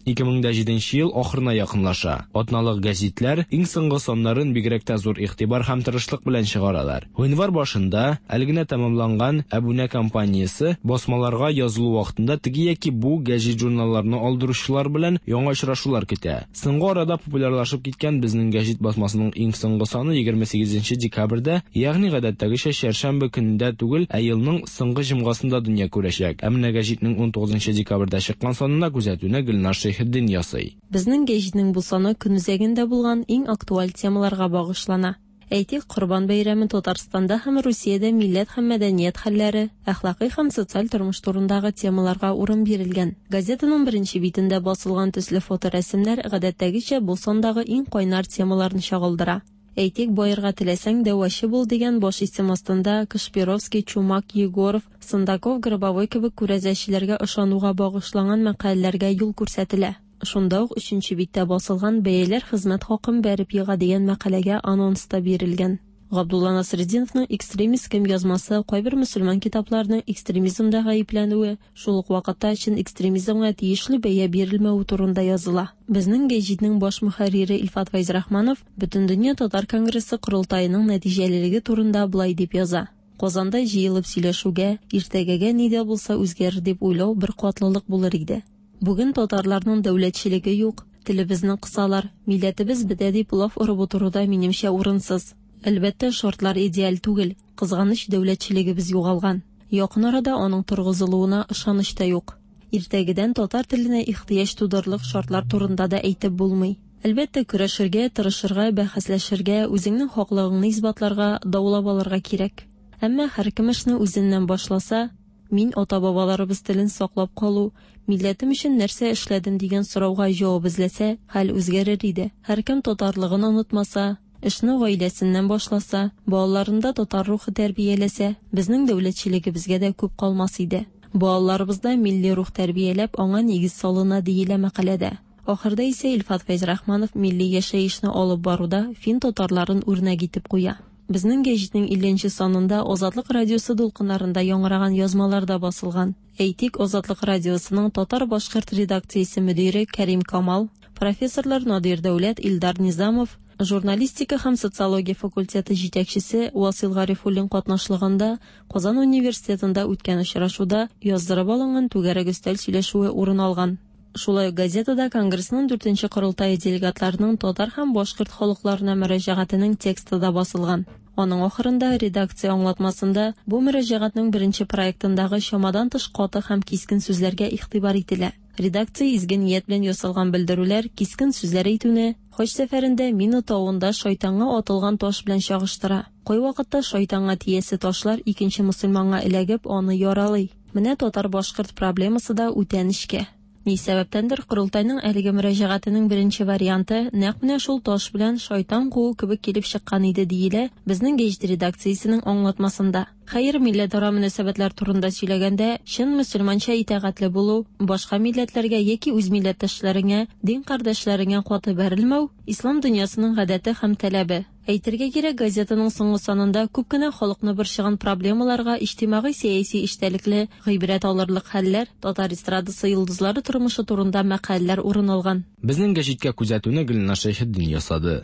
2007 ел ахырына якынлаша. Атналык гәзитләр иң соңгы саннарын бигрәк тә зур игътибар һәм тырышлык белән чыгаралар. Гыйнвар башында әле генә тәмамланган әбүнә кампаниясе басмаларга язылу вакытында теге яки бу гәҗит-журналларны алдыручылар белән яңа очрашулар көтә. Соңгы арада популярлашып киткән Безнең гәҗит басмасының иң соңгы саны 28 декабрьдә, ягъни гадәттәгечә чәршәмбе көнендә түгел, ә елның соңгы җомгасында дөнья күрәчәк. Ә менә гәҗитнең 19 декабрьдә чыккан санына күзәтүне Гөлназ Шәйхетдин ясый. Безнең гәҗитнең бу саны көнүзәгендә булган иң актуаль темаларга багышлана. Әйтик, Корбан бәйрәме Татарстанда һәм Русиядә милләт һәм мәдәният хәлләре, әхлакый һәм социаль тормыш турындагы темаларга урын бирелгән. Газетаның беренче битендә басылган төсле фоторәсемнәр гадәттәгечә бу сандагы иң кайнар темаларны чагылдыра. Әйтик, Баерга теләсәң, дәвачы бул дигән баш исем астында Кашпировский, Чумак, Егоров, Сындаков, Гробовой кебек күрәзәчеләргә ышануга багышланган мәкаләләргә юл күрсәтелә. Шунда ук өченче биттә басылган Бәяләр хезмәт хакын бәреп ега дигән мәкаләгә анонс та бирелгән. Габдулла Насретдиновның Экстремист кем язмасы кайбер мөселман китапларының экстремизмда гаепләнүе, шул ук вакытта чын экстремизмга тиешле бәя бирелмәве турында языла. Безнең гәҗитнең баш мөхәррире Илфат Фәйзрахманов Бөтендөнья татар конгрессы корылтаеның нәтиҗәлелеге турында болай дип яза. Казанда җыелып сөйләшүгә, иртәгәгә ни дә булса үзгәрер дип уйлау беркатлылык булыр иде. Бүген татарларның дәүләтчелеге юк, телебезне кысалар, милләтебез бетә дип лаф орып утыру да, минемчә, урынсыз. Әлбәттә, шартлар идеаль түгел, кызганыч, дәүләтчелегебез югалган. Якын арада аның торгызылуына ышаныч та юк. Иртәгедән татар теленә ихтыяҗ тудырырлык шартлар турында да әйтеп булмый. Әлбәттә, көрәшергә, тырышырга, бәхәсләшергә, үзеңнең хаклыгыңны исбатларга, даулап алырга кирәк. Әмма һәркем эшне үзеннән башласа, Мин ата-бабаларыбыз телен саклап калу, милләтем өчен нәрсә эшләдем дигән сорауга җавап эзләсә, хәл үзгәрер иде. Һәркем татарлыгын онытмаса, эшне гаиләсеннән башласа, балаларында татар рухы тәрбияләсә, безнең дәүләтчелегебезгә дә күп калмас иде. Балаларыбызда милли рух тәрбияләп, аңа нигез салына, диелә мәкаләдә. Ахырда исә Илфат Фәйзрахманов милли яшәешне алып баруда фин татарларын үрнәк итеп куя. Безнең гәҗитнең 50 нче санында Азатлык радиосы дулкыннарында яңгыраган язмалар да басылган. Әйтик, Азатлык радиосының татар-башкорт редакциясе мөдире Кәрим Камал, профессорлар Надир Дәүләт, Илдар Низамов, журналистика һәм социология факультеты җитәкчесе Васил Гарифуллин катнашлыгында Казан университетында үткән очрашуда яздырып алынган түгәрәк өстәл сөйләшүе урын алган. Шулай ук газетада Конгрессның дүртенче корылтае делегатларының татар һәм башкорт халыкларына мөрәҗәгатенең тексты да басылган. Аның ахырында, редакция аңлатмасында, бу мөрәҗәгатьнең беренче проектындагы чамадан тыш каты һәм кискен сүзләргә игътибар ителә. Редакция изге ният белән ясалган белдерүләр, кискен сүзләр әйтүне, хаҗ сәфәрендә Мина тавында шайтанга атылган таш белән чагыштыра. Кайвакытта шайтанга тиясе ташлар икенче мөселманга эләгеп, аны яралый. Менә татар-башкорт проблемасы да үтә нечкә. Ни сәбәптәндер, корылтайның әлеге мөрәҗәгатенең беренче варианты нәкъ менә шул таш белән шайтан куу кебек килеп чыккан иде, диелә Безнең гәҗит редакциясенең аңлатмасында. Хәер, милләтара мөнәсәбәтләр турында сөйләгәндә, чын мөселманча итагатьле булу, башка милләтләргә яки үз милләттәшләреңә, дин кардәшләреңә каты бәрелмәү, ислам дөньясының гадәте һәм таләбе. Әйтергә кирәк, газетаның соңгы санында күп кенә халыкны борчыган проблемаларга иҗтимагый-сәяси эчтәлекле, гыйбрәт алырлык хәлләр, татар эстрадасы йолдызлары тормышы турында мәкаләләр урын алган. Безнең гәҗиткә күзәтүне Гөлназ Шәйхетдин ясады.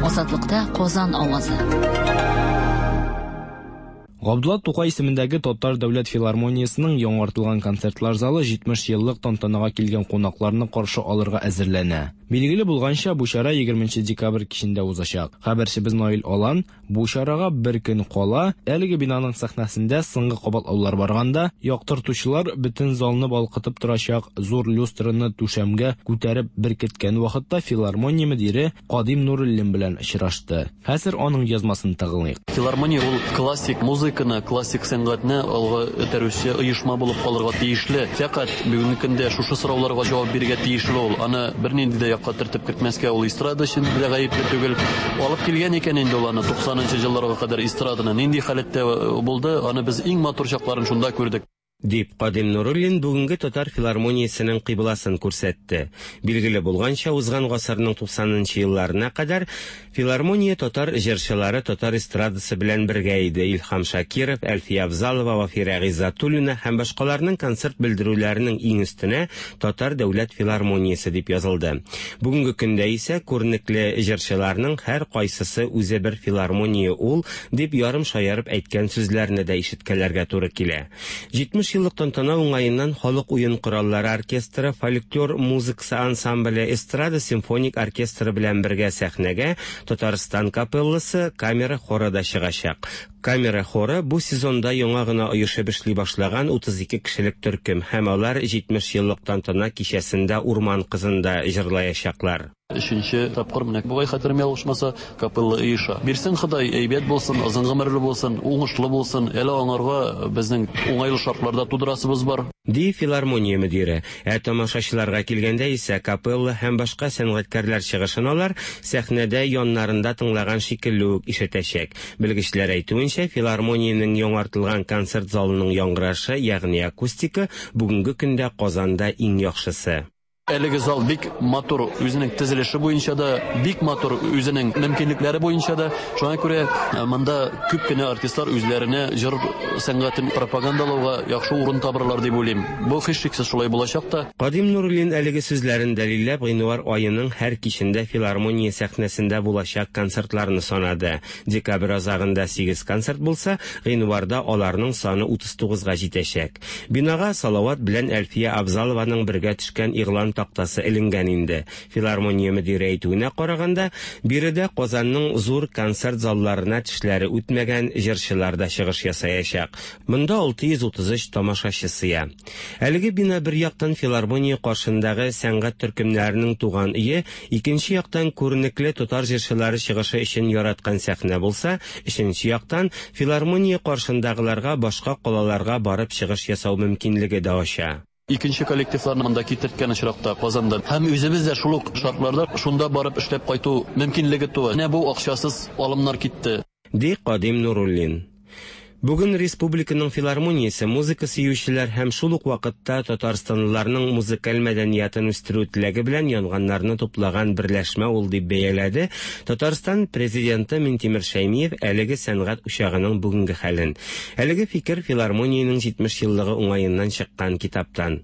Азатлыкта Казан авазы. Габдулла Тукай исемендәге Татар дәүләт филармониясенең яңартылган концертлар залы 70 еллык тантанага килгән кунакларны каршы алырга әзерләнә. Билгеле булганча, бу чара 20 декабрь кичендә узачак. Хәбәрчебез Наил Алан бу чарага бер көн кала, әлеге бинаның сәхнәсендә соңгы кабатлаулар барганда, яктыртучылар бөтен залны балкытып торачак зур люстраны түшәмгә күтәреп беркеткән вакытта филармония мөдире Кадим Нуруллин белән очрашты. Хәзер аның язмасын тыңлыйк. Филармония ул классик музыканы, классик сәнгатьне алга этәрүче оешма булып калырга тиешле. Фәкать бүгенге көндә шушы сорауларга җавап бирергә тиешле ул. Аны бернинди дә якка төртеп кертмәскә, ул эстрада өчен дә гаепле түгел. Алып килгән икән инде ул аны 90 нчы елларга кадәр эстраданы нинди халәттә булды, аны без иң матур чакларын шунда күрдек. Дип, Кадим Нуруллин бүгенге татар филармониясенең кыйбласын күрсәтте. Билгеле булганча, узган гасырның 90 нчы елларына кадәр филармония татар җырчылары татар эстрадасы белән бергә иде, Илһам Шакиров, Әлфия Авзалова, Вафирә Гыйззәтуллина һәм башкаларның концерт белдерүләренең иң өстенә Татар дәүләт филармониясе дип язылды. Бүгенге көндә исә күренекле җырчыларның һәркайсысы үзе бер филармония ул, дип ярым шаярып әйткән сүзләрне дә ишеткәләргә туры килә. 70 еллык тантана уңаеннан халык уен кораллары оркестры, фольклор музыкасы ансамбле, эстрада симфоник оркестры белән бергә сәхнәгә Татарстан капелласы, камера хоры да чыгачак. Камера хоры бу сезонда яңа гына оешып эшли башлаган 32 кешелек төркем һәм алар 70 еллык тантана кичәсендә Урман кызын да җырлаячаклар. Өченче тапкыр менә бугай хәтерем ялгышмаса, капелла оеша. Бирсен Ходай, әйбәт булсын, озын гомерле булсын, уңышлы булсын. Әле аңарга безнең уңайлы шартлар да тудырасыбыз бар. Ди филармония мөдире. Ә тамашачыларга килгәндә исә, капелла һәм башка сәнгатькәрләр чыгышын алар сәхнәдә яннарында тыңлаган шикелле үк ишетәчәк. Белгечләр әйтүенчә, филармониянең яңартылган концерт залының яңгырашы, ягъни акустика, бүгенге көндә Казанда иң яхшысы. Әлеге зал бик матур үзенең төзелеше буенча да, бик матур үзенең мөмкинлекләре буенча да. Шуңа күрә э, монда күп кенә артистлар үзләренә җыр сәнгатен пропагандалауга яхшы урын табырлар дип уйлыйм. Бу һичшиксез шулай булачак та. Кадим Нуруллин әлеге сүзләрен дәлилләп, гыйнвар аеның һәр кичендә филармония сәхнәсендә булачак концертларны санады. Декабрь азагында сигез концерт булса, гыйнварда аларның саны 39 га җитәчәк. Бинага Салават белән Әлфия Авзалованың бергә төшкән игълан тактасы эленгән инде. Филармония мөдире әйтүенә караганда, биредә Казанның зур концерт залларына тешләре үтмәгән җырчылар да чыгыш ясаячак. Монда 633 тамашачы сыя. Әлеге бина бер яктан филармония каршындагы сәнгать төркемнәренең туган өе, икенче яктан күренекле татар җырчылары чыгышы өчен яраткан сәхнә булса, өченче яктан филармония каршындагыларга башка калаларга барып чыгыш ясау мөмкинлеге дә ача. Икенче коллективларны монда китерткән очракта Казандан һәм үзебез дә шул ук шартларда шунда барып эшләп кайту мөмкинлеге туа. Менә бу акчасыз алымнар китте. Ди Кадим Нуруллин. Бүген республиканың филармониясе музыка сөючеләр һәм шул ук вакытта татарстанлыларның музыкаль мәдәниятын үстерү теләге белән янганнарны туплаган берләшмә ул дип бәяләде Татарстан Президенты Минтимер Шәймиев әлеге сәнгать учагының бүгенге хәлен. Әлеге фикер филармониянең 70 еллыгы уңаеннан чыккан китаптан.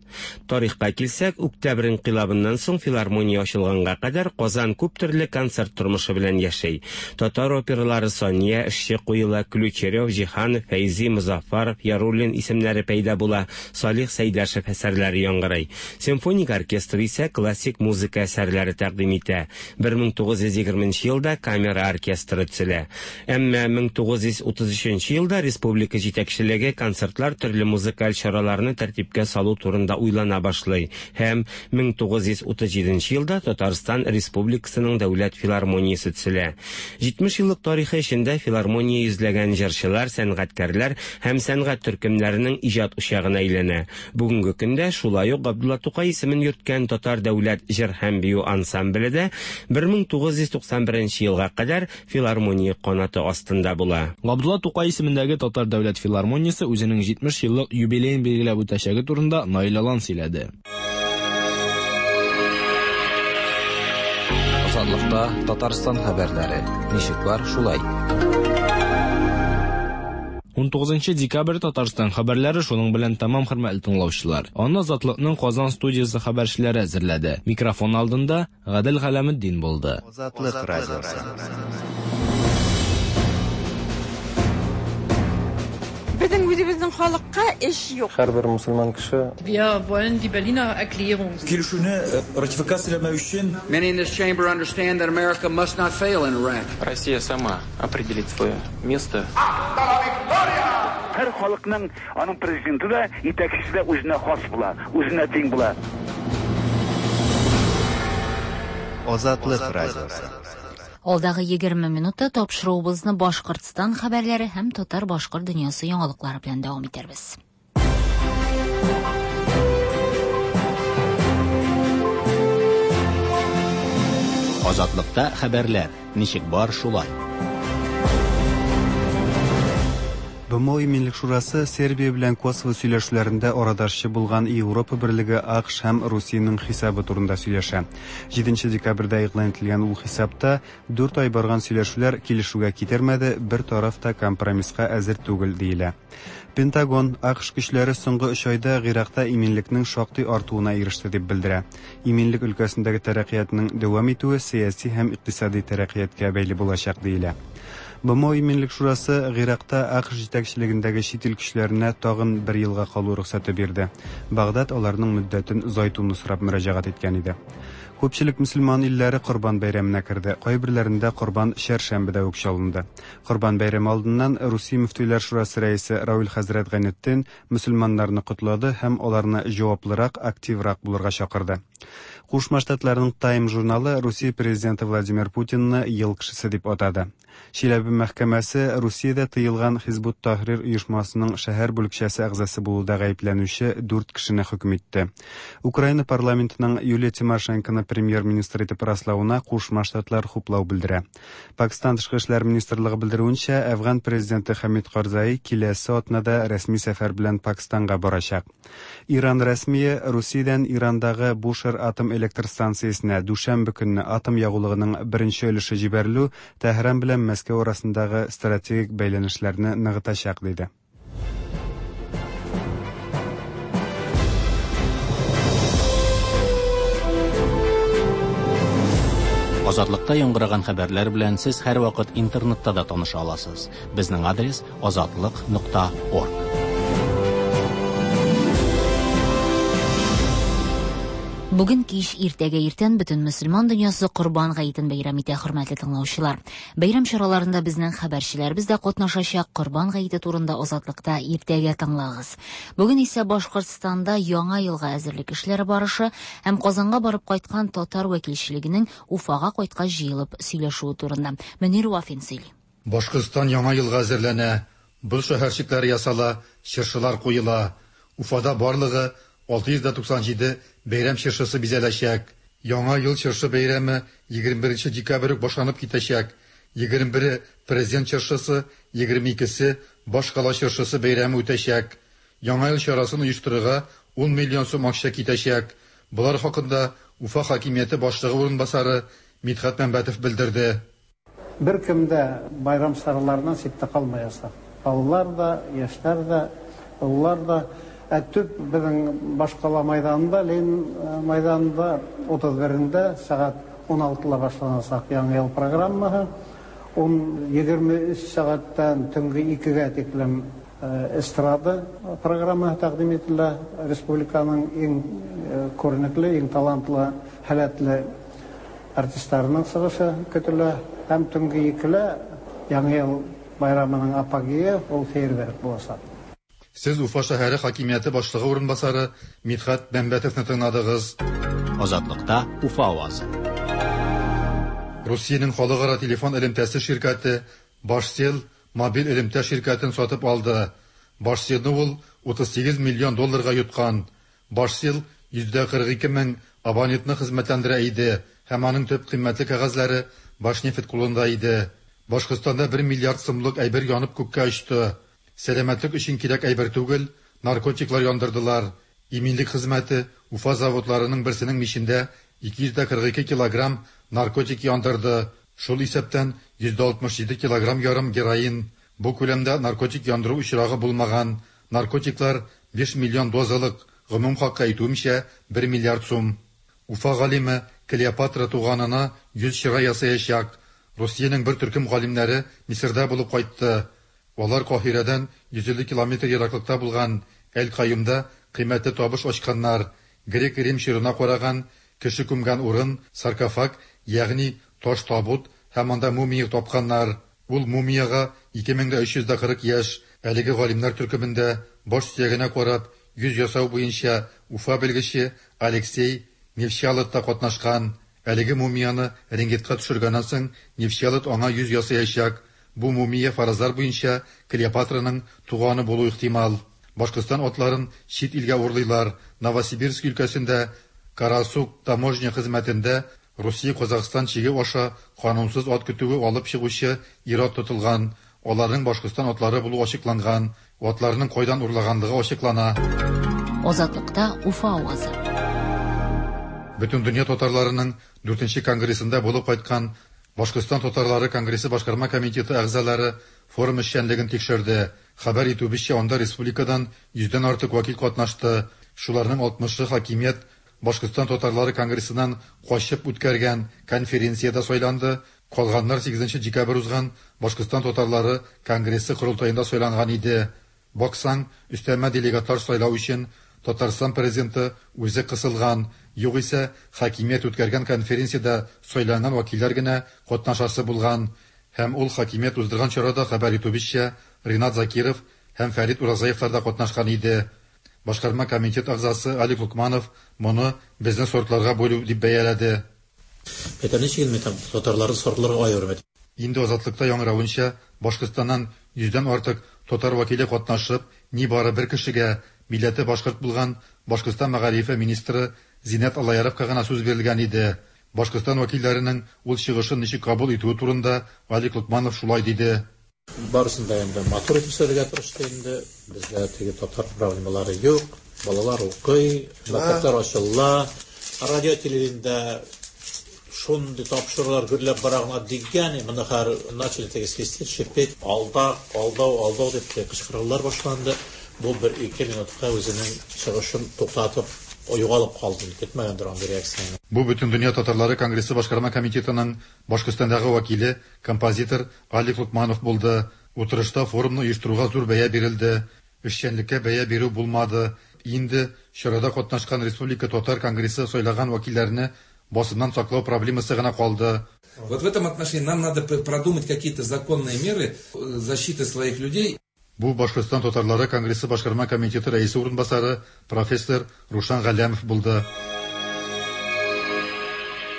Тарихка килсәк, Октябрь инкыйлабыннан соң филармония ачылганга кадәр Казан күп төрле концерт тормышы белән яши. Татар опералары Сания, Эшче куела, Ключерев, Җиһанов, Фәйзи, Мозаффаров, Яруллин исемнәре пәйда була, Салих Сәйдәшев әсәрләре яңгырый. Симфоник оркестр исә классик музыка әсәрләре тәкъдим итә. 1920 елда камера оркестры төзелә. Әмма 1933 елда республика җитәкчелеге концертлар төрле музыкаль чараларны тәртипкә салу турында уйлана башлый һәм 1937 елда Татарстан Республикасының дәүләт филармониясе төзелә. 70 еллык тарихы эчендә филармония йөзләгән җырчылар, сәнгатькәрләр һәм сәнгать төркемнәренең иҗат учагына әйләнә. Бүгенге көндә шулай ук Габдулла Тукай исемен йөрткән Татар дәүләт җыр һәм бию ансамбле дә 1991 елга кадәр филармония канаты астында була. Габдулла Тукай исемендәге Татар дәүләт филармониясе үзенең 70 еллык юбилеен билгеләп үтәчәге турында Наил Алан сөйләде. Азатлыкта Татарстан хәбәрләре. Ничек бар, шулай. 19 декабрь Татарстан хәбәрләре шуның белән тәмам, хөрмәтле тыңлаучылар. Аны Азатлыкның Казан студиясе хәбәрчеләре әзерләде. Микрофон алдында Гадел Галәметдин булды. Азатлык радиосы. Үзебезнең халыкка эш юк. Һәрбер мөселман кеше. Wir wollen die Berliner Erklärung. Килешүне ратификацияләмәү өчен. Many in this chamber understand that America must not fail in Iraq. Россия сама определит свое место. Һәр халыкның аның президенты да, итәкчесе дә үзенә хас була, үзенә тиң була. Азатлык радиосы. Алдагы 20 минутта тапшыруыбызны Башкортстан хәбәрләре һәм татар-башкорт дөньясы яңалыклары белән дәвам итәрбез. Азатлыкта хәбәрләр ничек бар шулай. БМО Иминлек шурасы Сербия белән Косово сөйләшүләрендә арадашчы булган Европа берлеге, АКШ һәм Русиянең хисабы турында сөйләшә. 7 декабрьдә игълан ителгән ул хисапта 4 ай барган сөйләшүләр килешүгә китермәде, бер тараф та компромисска әзер түгел диелә. Пентагон АКШ көчләре соңгы 3 айда Гыйракта иминлекнең шактый артуына иреште дип белдерә. Иминлек өлкәсендәге тәрәккыятның дәвам итүе сәяси һәм икътисади тәрәккыятка бәйле булачак диелә. БМО Иминлек шурасы Гыйракта АКШ җитәкчелегендәге чит ил көчләренә тагын бер елга калу рөхсәте бирде. Багдад аларның мөддәтен озайтуны сорап мөрәҗәгать иткән иде. Күпчелек мөселман илләре Корбан бәйрәменә керде. Кайберләрендә корбан чәршәмбедә үк чалынды. Корбан бәйрәме алдыннан Русия мөфтиләр шурасы рәисе Равил хәзрәт Гайнетдин мөселманнарны котлады һәм аларны җаваплырак, активрак булырга чакырды. Кушма Штатларның Time журналы Русия президенты Владимир Путинны ел кешесе дип атады. Чиләбе мәхкәмәсе Русиядә тыелган Хизбут Тахрир оешмасының шәһәр бүлекчәсе әгъзасы булуда гаепләнүче дүрт кешене хөкем итте. Украина парламентының Юлия Тимошенконы премьер-министр итеп раславына Кушма Штатлар хуплау белдерә. Пакистан тышкы эшләр министрлыгы белдерүенчә, Әфган президенты Хамид Карзаи киләсе атнада рәсми сәфәр белән Пакистанга барачак. Иран рәсмие Русиядән Ирандагы Бушер атом электр станциясенә дүшәмбе көнне атом ягулыгының беренче өлеше җибәрелү Тәһран белән Мәскәү арасындагы стратегик бәйләнешләрне ныгытачак, диде. Азатлыкта яңгыраган хәбәрләр белән сез һәрвакыт интернетта да таныша аласыз. Безнең адрес азатлык.орг. Бүген кич, иртәгә иртән бөтен мөселман дөньясы Корбан гаетен бәйрәм итә, хөрмәтле тыңлаучылар. Бәйрәм чараларында безнең хәбәрчеләребез дә катнашачак. Корбан гаете турында Азатлыкта иртәгә тыңлагыз. Бүген исә Башкортстанда яңа елга әзерлек эшләре барышы һәм Казанга барып кайткан татар вәкилчелегенең Уфага кайткач җыелып сөйләшүе турында Мөнир Вафин сөйли. Башкортстан яңа елга әзерләнә. Боз шәһәрчекләре ясала, чыршылар куела. Уфада барлыгы 697 бәйрәм чыршысы бизәләчәк. Яңа ел чыршы бәйрәме 21 декабрь үк башланып китәчәк. 21-е президент чыршысы, 22-се башкала чыршысы бәйрәме үтәчәк. Яңа ел чарасын оештырырга 10 миллион сум акча китәчәк. Болар хакында Уфа хакимияте башлыгы урынбасары Мидхәт Мәмбәтов белдерде. Беркем дә байрам чараларыннан читтә калмаячак. Балалар да, яшьләр дә, олылар да. Ә төп безнең башкала майданында, Ленин майданында 31-ндә сәгать 16-да башланачак Яңа ел программасы. Ун 23 сәгатьтән төнге 2-гә тиклем эстрада программасы тәкъдим ителә. Республиканың иң күренекле, иң талантлы, һәләтле артистларының чыгышы көтелә. Һәм төнге 2-лә Яңа ел байрамының апогее ул фейерверк булачак. Сез Уфа шәһәре хакимияте башлыгы урынбасары Мидхәт Мәмбәтовны тыңладыгыз. Азатлыкта Уфа авазы. Русиянең халыкара телефон элемтәсе ширкәте Башсел мобиль элемтә ширкәтен сатып алды. Башселны ул 38 миллион долларга йоткан. Башсел 142 мең абонентны хезмәтләндерә иде һәм аның төп кыйммәтле кәгазьләре Башнефть кулында иде. Башкортстанда 1 миллиард сумлык әйбер янып күккә очты. Сәламәтлек өчен кирәк әйбер түгел, наркотиклар яндырдылар. Иминлек хезмәте Уфа заводларының берсенең мичендә 242 килограмм наркотик яндырды. Шул исәптән 167 килограмм ярым героин. Бу күләмдә наркотик яндыру очрагы булмаган. Наркотиклар 5 миллион дозалык, гомум хакы әйтүемчә 1 миллиард сум. Уфа галиме Клеопатра туганына 100 чырай ясаячак. Русиянең бер төркем галимнәре Мисырда булып кайтты. Алар Каһирәдән 150 километр ераклыкта булган Әл-Каюмда кыйммәтле табыш ачканнар. Грек-Рим чорына караган кеше күмгән урын, саркофаг, ягъни таш табут һәм анда мумия тапканнар. Ул мумиягә 2340 яшь. Әлеге галимнәр төркемендә баш сөягенә карап йөз ясау буенча Уфа белгече Алексей Невчалов та катнашкан. Әлеге мумияне рентгенга төшергәннән соң Невчалов аңа йөз ясаячак. Бу мумия фаразлар буенча Клеопатраның туганы булу ихтимал. Башкортстан атларын чит илгә урлыйлар. Новосибирск өлкәсендә Карасук таможня хезмәтендә Русия-Казахстан чиге аша канунсыз ат көтүе алып чыгучы ир-ат тотылган. Аларның Башкортстан атлары булуы ачыкланган. Атларның кайдан урлаганлыгы ачыклана. Азатлыкта Уфа авазы. Бөтендөнья татарларының дүртенче конгрессында булып кайткан Башкортстан татарлары конгрессы башкарма комитеты әгъзалары форум эшчәнлеген тикшерде. Хәбәр итүебезчә, анда республикадан йөздән артык вәкил катнашты. Шуларның алтмышы хакимият Башкортстан татарлары конгрессыннан качып үткәргән конференциядә сайланды, калганнар сигезенче декабрь узган Башкортстан татарлары конгрессы корылтаенда сайланган иде. Баксаң, өстәмә делегатлар сайлау өчен Татарстан президенты үзе кысылган, югыйсә, хакимият үткәргән конференциядә сайланган вәкилләр генә катнашасы булган. Һәм ул хакимият уздырган чарада, хәбәр итүебезчә, Ринат Закиров һәм Фәрит Уразаевлар да катнашкан иде. Башкарма комитет әгъзасы Алик Локманов моны безне сортларга бүлү дип бәяләде. Әйтәм, ничек инде, әйтәм, татарларны сортларга аерым, әйтәм. Инде Азатлыкта яңгыравынча, Башкортстаннан йөздән артык татар вәкиле катнашып, нибары бер кешегә, милләте башкорт булган Башкортстан мәгарифе министры Зиннәт Аллаяровка гына сүз бирелгән иде. Башкортстан вәкилләренең ул чыгышын ничек кабул итүе турында Алик Локманов шулай диде. Барысын да инде матур итеп сөйләргә тырышты инде. Бездә теге татар проблемалары юк. Балалар укый, мәктәпләр ачыла. Радио телевидениедә шундый тапшырулар гөрләп бара гына дигән, моны хәзер начали теге свистеть, шипеть, алдак, алдау, алдау дип кычкырулар башланды. Бу бер-ике минутка үзенең чыгышын туктатып, югалып калды. Көтмәгәндер андый реакцияне. Бу Бөтендөнья татарлары конгрессы башкарма комитетының Башкортстандагы вәкиле, композитор Алик Локманов булды. Утырышта форумны оештыруга зур бәя бирелде. Эшчәнлеккә бәя бирү булмады. Инде чарада катнашкан Республика татар конгрессы сайлаган вәкилләрне басымнан саклау проблемасы гына калды. Вот в этом отношении нам надо продумать какие-то законные меры защиты своих людей. Бу Башкортстан татарлары конгрессы башкарма комитеты рәисе урынбасары профессор Рушан Галләмов булды.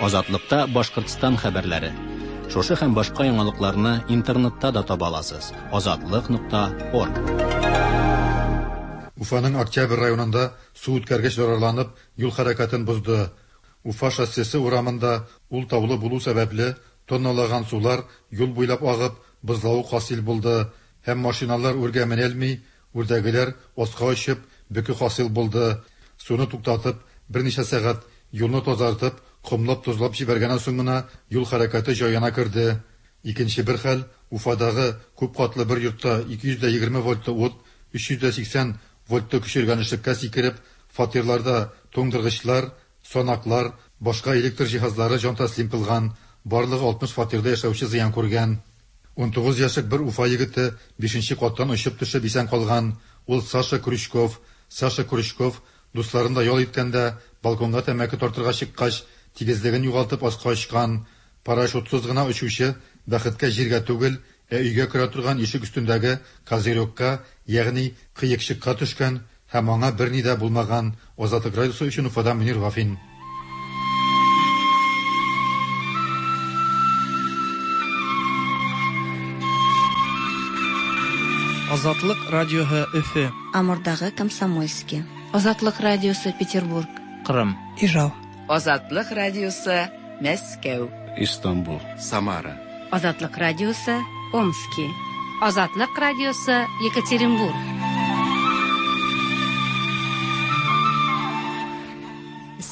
Азатлыкта Башкортстан хәбәрләре. Шушы һәм башка яңалыкларны интернетта да таба аласыз. Азатлык нокта орг. Уфаның Октябрь районында су үткәргеч зарарланып, юл хәрәкәтен бозды. Уфа шоссесы урамында ул таулы булу сәбәпле, тонналаган сулар юл буйлап агып, бозлавык хасил булды һәм машиналар үргә менәлми, үрдәгеләр аска очып, бөке хасил булды. Суны туктатып, берничә сәгать юлны тазартып, комлап-тозлап җибәргәннән соң гына юл хәрәкәте җаена керде. Икенче бер хәл, Уфадагы күп катлы бер йортта 220 вольтлы ут 380 вольтлы көчергәнешлеккә сикереп, фатирларда туңдыргычлар, санаклар, башка электр җиһазлары җан тәслим кылган, барлыгы 60 фатирда яшәүче зыян күргән. 19 яшьлек бер Уфа егете бишенче каттан очып төшеп исән калган. Ул Саша Крючков. Саша Крючков дусларында ял иткәндә балконга тәмәке тартырга чыккач, тигезлеген югалтып аска очкан. Парашютсыз гына очучы бәхеткә җиргә түгел, ә өйгә керә торган ишек өстендәге козырекка, ягъни кыекчыкка төшкән һәм аңа берни дә булмаган. Азатлык радиосы өчен Уфадан Мөнир Вафин. Азатлык радиоһы Өфе. Амурдагы Комсомольски. Азатлык радиосы Петербург. Кырым. Ижау. Азатлык радиосы Мәскәү. Истанбул. Самара. Азатлык радиосы Омски. Азатлык радиосы Екатеринбург.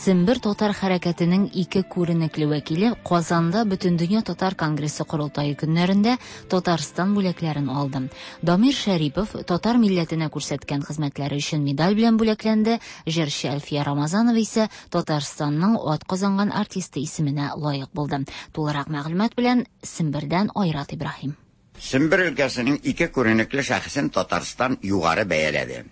Сембер татар хәрәкәтенең ике күренекле вәкиле Казанда Бөтендөнья татар конгрессы корылтае көннәрендә Татарстан бүләкләрен алды. Дамир Шәрипов татар милләтенә күрсәткән хезмәтләре өчен медаль белән бүләкләнде, җырчы Әлфия Рамазанова исә Татарстанның атказанган артисты исеменә лаек булды. Тулырак мәгълүмат белән Сембердән Айрат Ибраһим. Сембер өлкәсенең ике күренекле шәхесен Татарстан югары бәяләде.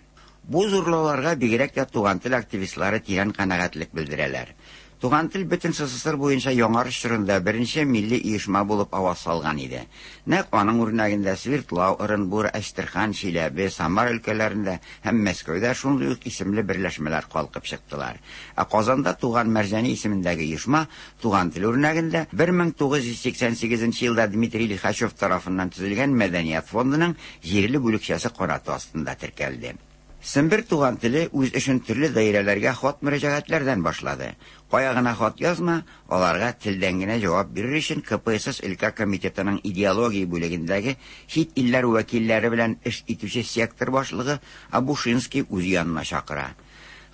Бу зурлауларга бигрәк тә Туган тел активистлары тирән канәгатьлек белдерәләр. Туган тел бөтен СССР буенча яңарыш чорында беренче милли оешма булып аваз салган иде. Нәкъ аның үрнәгендә Свердлау, Ырынбур, Әчтерхан, Чиләбе, Самар өлкәләрендә һәм Мәскәүдә шундый ук исемле берләшмәләр калкып чыктылар. Ә Казанда туган Мәрҗани исемендәге оешма Туган тел үрнәгендә 1988 елда Дмитрий Лихачев тарафыннан төзелгән Мәдәният фондының җирле бүлекчәсе канаты астында теркәлде. Сембер Туган теле үз эшен төрле даирәләргә хат-мөрәҗәгатьләрдән башлады. Кая гына хат язма, аларга телдән генә җавап бирер өчен КПСС өлкә комитетының идеология бүлегендәге чит илләр вәкилләре белән эш итүче сектор башлыгы Абушинский үз янына чакыра.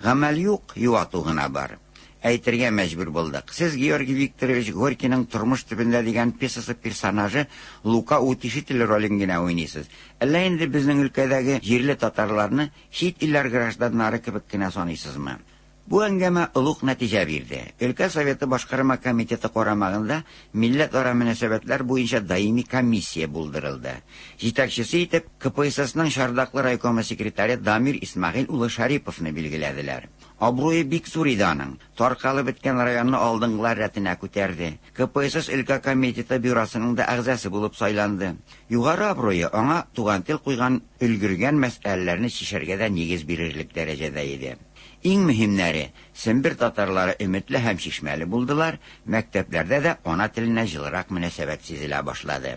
Гамәл юк, юату гына бар. Әйтергә мәҗбүр булдык. Сез Георгий Викторович Горькийның Тормыш төбендә дигән пьесасы персонажы Лука Утешитель ролен генә уйныйсыз. Әллә инде безнең өлкәдәге җирле татарларны чит илләр гражданнары кебек кенә саныйсызмы? Бу әңгәмә олуг нәтиҗә бирде. Өлкә Советы башкарма комитеты карамагында милләтара мөнәсәбәтләр буенча даими комиссия булдырылды. Җитәкчесе итеп КПССның Чардаклы райкомы секретаре Дамир Исмәгыйль улы Шариповны билгеләделәр. Абруе бик зур иде аның. Таркалып беткән районны алдынгылар рәтенә күтәрде. КПСС өлкә комитеты бюросының да әгъзасы булып сайланды. Югары абруе аңа Туган тел куйган өлгергән мәсьәләләрне чишәргә дә нигез бирерлек дәрәҗәдә иде. Иң мөһимнәре, Сембер татарлары өметле һәм чишмәле булдылар, мәктәпләрдә дә ана теленә җылырак мөнәсәбәт сизелә башлады.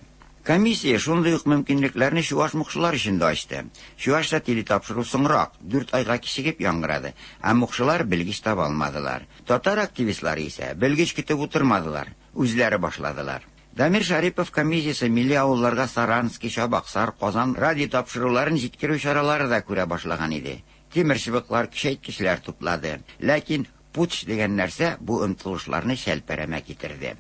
Комиссия шундый ук мөмкинлекләрне чуаш-мукшылар өчен дә ачты. Чуашча телетапшыру соңрак, дүрт айга кичегеп яңгырады, ә мукшылар белгеч таба алмадылар. Татар активистлары исә белгеч көтеп утырмадылар, үзләре башладылар. Дамир Шәрипов комиссиясе милли авылларга Сарански, Чабаксар, Казан радиотапшыруларын җиткерү чаралары да күрә башлаган иде. Тимерчыбыклар, көчәйткечләр туплады. Ләкин путч дигән нәрсә бу омтылышларны чәлпәрәмә китерде.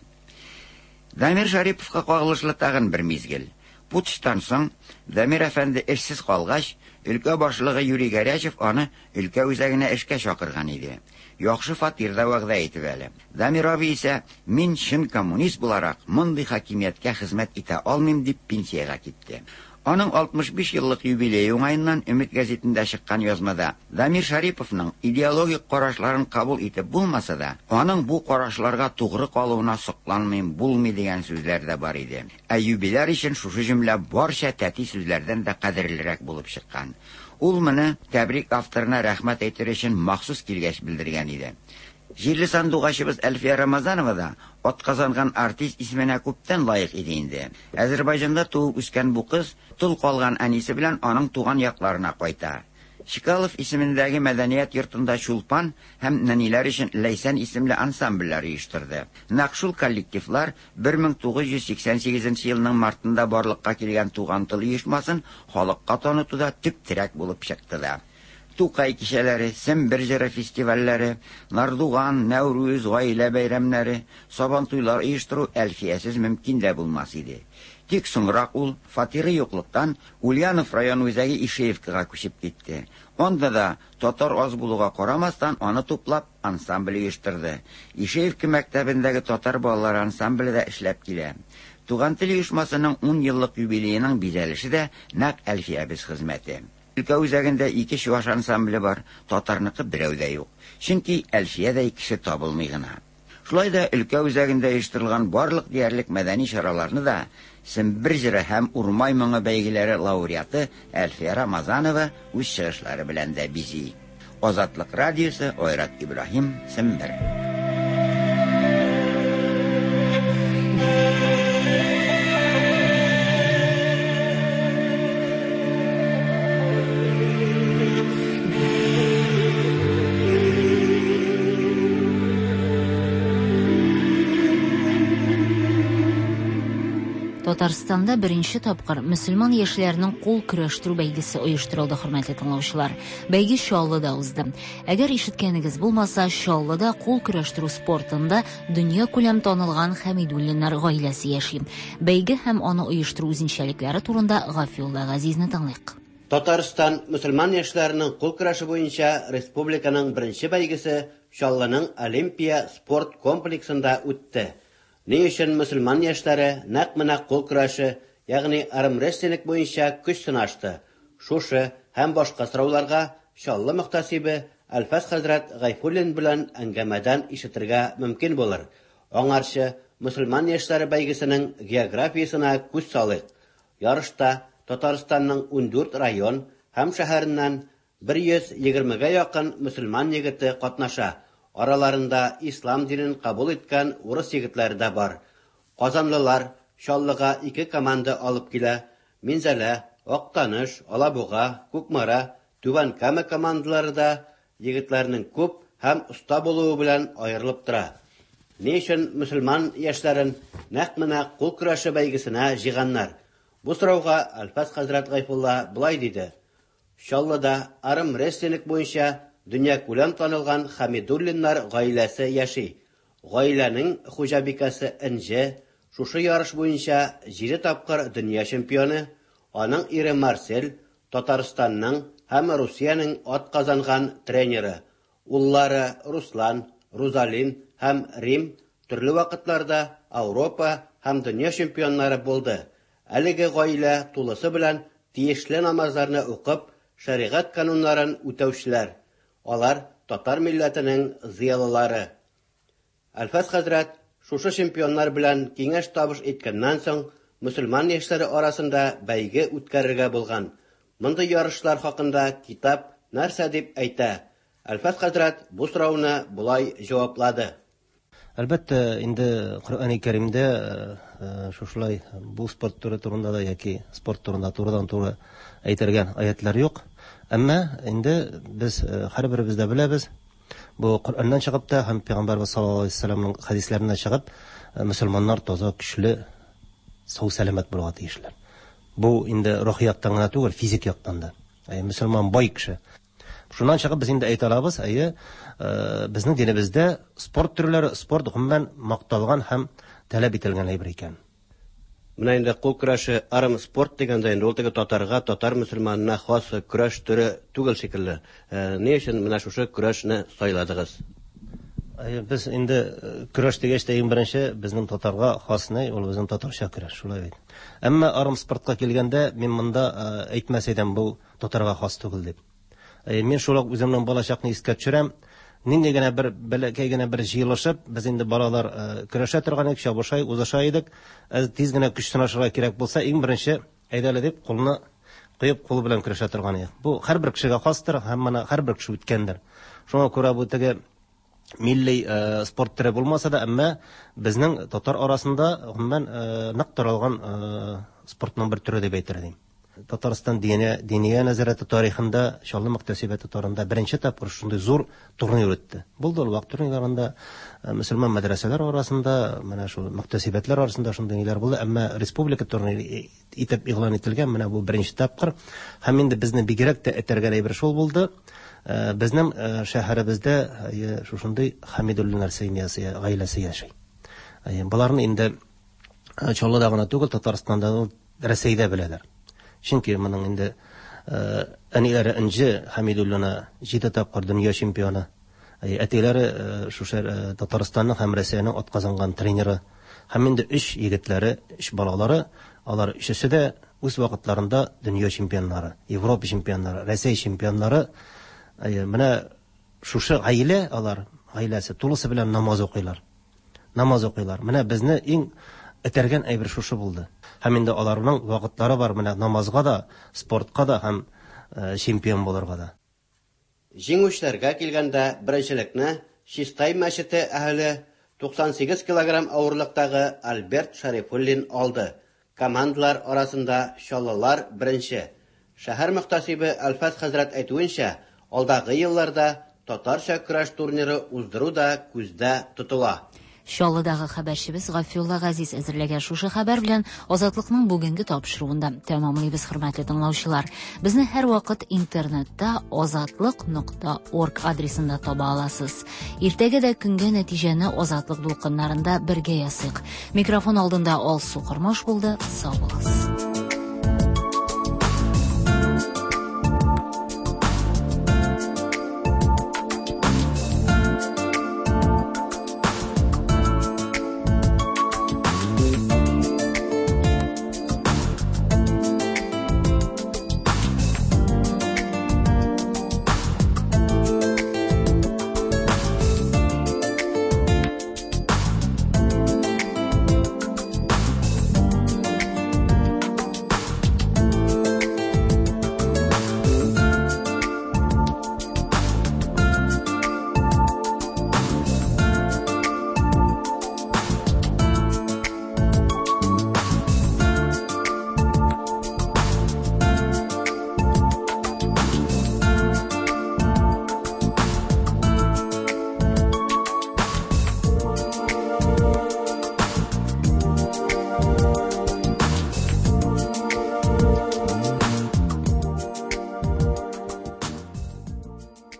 Дамир Шәриповка кагылышлы тагын бер мизгел. Путчтан соң, Дамир әфәнде эшсез калгач, өлкә башлыгы Юрий Горячев аны өлкә үзәгенә эшкә чакырган иде. Яхшы фатир да вәгъдә итеп әле. Дамир абый исә, мин чын коммунист буларак, мондый хакимияткә хезмәт итә алмыйм, дип пенсиягә китте. Аның 65 еллык юбилее уңаеннан Өмет гәзитендә чыккан язмада Дамир Шәриповның идеологик карашларын кабул итеп булмаса да, аның бу карашларга тугры калуына сокланмыйм булмый дигән сүзләр дә бар иде. Ә юбиляр өчен шушы җөмлә барча тәти сүзләрдән дә кадерлерәк булып чыккан. Ул моны тәбрик авторына рәхмәт әйтер өчен махсус килгәч белдергән иде. Җирле сандугачыбыз Әлфия Рамазанова да атказанган артист исеменә күптән лаек иде инде. Әзербайҗанда туып үскән бу кыз тол калган әнисе белән аның туган якларына кайта. Чкалов исемендәге мәдәният йортында Чулпан һәм нәниләр өчен Ләйсән исемле ансамбльләр оештырды. Нәкъ шул коллективлар 1988 нче елның мартында барлыкка килгән Туган тел оешмасын халыкка танытуда төп терәк булып чыкты да. Тукай кичәләре, Сембер җыры фестивальләре, Нардуган, Нәүрүз, гаилә бәйрәмнәре, Сабантуйлар оештыру Әлфиясез мөмкин дә булмас иде. Тик соңрак ул, фатиры юклыктан, Ульянов район үзәге Ишеевкага күчеп китте. Анда да, татар аз булуга карамастан, аны туплап, ансамбль оештырды. Ишеевка мәктәбендәге татар балалары ансамбле дә эшләп килә. Туган тел оешмасының ун еллык юбилееның бизәлеше дә нәкъ Әлфиябез хезмәте. Өлкә үзәгендә ике чуаш ансамбле бар, татарныкы берәү дә юк. Чөнки Әлфиядәй кеше табылмый гына. Шулай да өлкә үзәгендә оештырылган барлык диярлек мәдәни чараларны да Сембер җыры һәм Урмай моңы бәйгеләре лауреаты Әлфия Рамазанова үз чыгышлары белән дә бизи. Азатлык радиосы, Айрат Ибраһим, Сембер. Татарстанда беренче тапкыр мөселман яшьләренең кул көрәштерү бәйгесе оештырылды, хөрмәтле тыңлаучылар. Бәйге Чаллыда узды. Әгәр ишеткәнегез булмаса, Чаллыда кул көрәштерү спортында дөньякүләм танылган Хәмидуллиннар гаиләсе яши. Бәйге һәм аны оештыру үзенчәлекләре турында Гафиулла Газизне тыңлыйк. Татарстан мөселман яшьләренең кул көрәше буенча республиканың беренче бәйгесе Чаллының Олимпия спорт комплексында үтте. Ни өчен мөселман яшьләре нәкъ менә кул көрәше ягъни армрестлинг буенча көч сынашты. Шушы һәм башка сорауларга Чаллы мөхтәсибе Әлфәс хәзрәт Гайфуллин белән әңгәмәдән ишетергә мөмкин булыр. Аңарчы мөселман яшьләре бәйгесенең географиясенә күз салыйк. Ярышта Татарстанның 14 район һәм шәһәреннән 120гә якын мөселман егете катнаша. Араларында ислам динен кабул иткән урыс егетләре дә бар. Казанлылар Чаллыга ике команда алып килә. Минзәлә, Актаныш, Алабуга, Кукмара, Түбән Кама командалары да егетләрнең күп һәм оста булуы белән аерылып тора. Ни өчен мөселман яшьләрен нәкъ менә кул көрәше бәйгесенә җыйганнар? Бу сорауга Әлфәс хәзрәт Гайфулла болай диде: Чаллыда армрестлинг буенча дөньякүләм танылган Хәмидуллиннар гаиләсе яши. Гаиләнең хуҗабикәсе Энҗе, шушы ярыш буенча җиде тапкыр дөнья чемпионы, аның ире Марсель, Татарстанның һәм Русиянең атказанган тренеры. Уллары Руслан, Рузалин һәм Рим төрле вакытларда Ауропа һәм дөнья чемпионнары булды. Әлеге гаилә тулысы белән тиешле намазларны укып, шәригать кануннарын үтәүчеләр. Алар татар милләтенең зыялылары. Әлфәс хәзрәт шушы чемпионнар белән киңәш-табыш иткәннән соң, мөселман яшьләре арасында бәйге үткәрергә булган. Мондый ярышлар хакында китап нәрсә дип әйтә? Әлфәс хәзрәт бу сорауны болай җаваплады. Әлбәттә, инде Коръәни Кәримдә шушылай бу спорт төре турында да яки спорт турында турыдан-туры әйтелгән аятлар юк. Әмма инде без һәрберебез дә беләбез, бу Коръәннән чыгып та һәм Пәйгамбәрбез саллаллаһу алейһи вәсәлләмнең хәдисләреннән чыгып, мөселманнар таза, көчле, сау-сәламәт булырга тиешләр. Бу инде рухи яктан гына түгел, физик яктан да. Әйе, мөселман бай кеше. Шуннан чыгып без инде әйтә алабыз, әйе, безнең динебездә спорт төрләре, спорт гомумән макталган һәм таләп ителгән әйбер икән. Менә инде кул көрәше, армспорт дигәндә инде ул теге татарга, татар мөселманына хас көрәш төре түгел шикелле. Ни өчен менә шушы көрәшне сайладыгыз? Әйе, без инде көрәш дигәч тә иң беренче безнең татарга хас ни, ул безнең татарча көрәш, шулай бит. Әмма армспортка килгәндә, мин монда әйтмәс идем, бу татарга хас түгел дип. Мин шул ук үземнең балачакны искә төшерәм. Нинди генә бер бәләкәй генә бер җыелышып, без инде балалар көрәшә торган идек, чабыша, узыша идек. Әз тиз генә көч сынашырга кирәк булса, иң беренче әйдә әле дип кулны куеп, кул белән көрәшә торган идек. Бу һәрбер кешегә хастыр һәм моны һәрбер кеше үткәндер. Шуңа күрә бу теге милли спорт төре булмаса да, әмма безнең татар арасында гомумән нык таралган спортның бер төре дип әйтер идем. Татарстан Диния, Диния нәзарәте тарихында, Чаллы мөхтәсибәте тарихында беренче тапкыр шундый зур турнир үтте. Булды ул вак турнирларында, мөселман мәдрәсәләр арасында, менә шул мөхтәсибәтләр арасында шундый ниләр булды, әмма республика турниры итеп игълан ителгән менә бу беренче тапкыр. Һәм инде безне бигрәк тә этәргән әйбер шул булды. Безнең шәһәребездә шушындый Хәмидуллиннар семьясы, гаиләсе яши. Боларны инде Чаллыда гына түгел, Татарстанда да, Рәсәйдә беләләр. Чөнки моның инде әниләре Энҗе Хәмидуллина җиде тапкыр дөнья чемпионы. Әтиләре шушы Татарстанның һәм Рәсәйнең атказанган тренеры. Һәм инде өч егетләре, өч балалары, алар өчесе дә үз вакытларында дөнья чемпионнары, Европа чемпионнары, Рәсәй чемпионнары. Менә шушы гаилә, алар гаиләсе тулысы белән намаз укыйлар. Намаз укыйлар. Менә безне иң этәргән әйбер шушы булды. Һәм инде аларның вакытлары бар менә намазга да, спортка да һәм чемпион булырга да. Җиңүчеләргә килгәндә, беренчелекне Чистай мәчете әһеле 98 килограмм авырлыктагы Альберт Шәрифуллин алды. Командалар арасында чаллылар беренче. Шәһәр мөхтәсибе Әлфәс хәзрәт әйтүенчә, алдагы елларда татарча көрәш турниры уздыру да күздә тотыла. Чаллыдагы хәбәрчебез Гафиулла Газиз әзерләгән шушы хәбәр белән Азатлыкның бүгенге тапшыруын да тәмамлыйбыз, хөрмәтле тыңлаучылар. Безне һәрвакыт интернетта азатлык.орг адресында таба аласыз. Иртәгә дә көнгә нәтиҗәне Азатлык дулкыннарында бергә ясыйк. Микрофон алдында Алсу Кормаш булды. Сау булыгыз.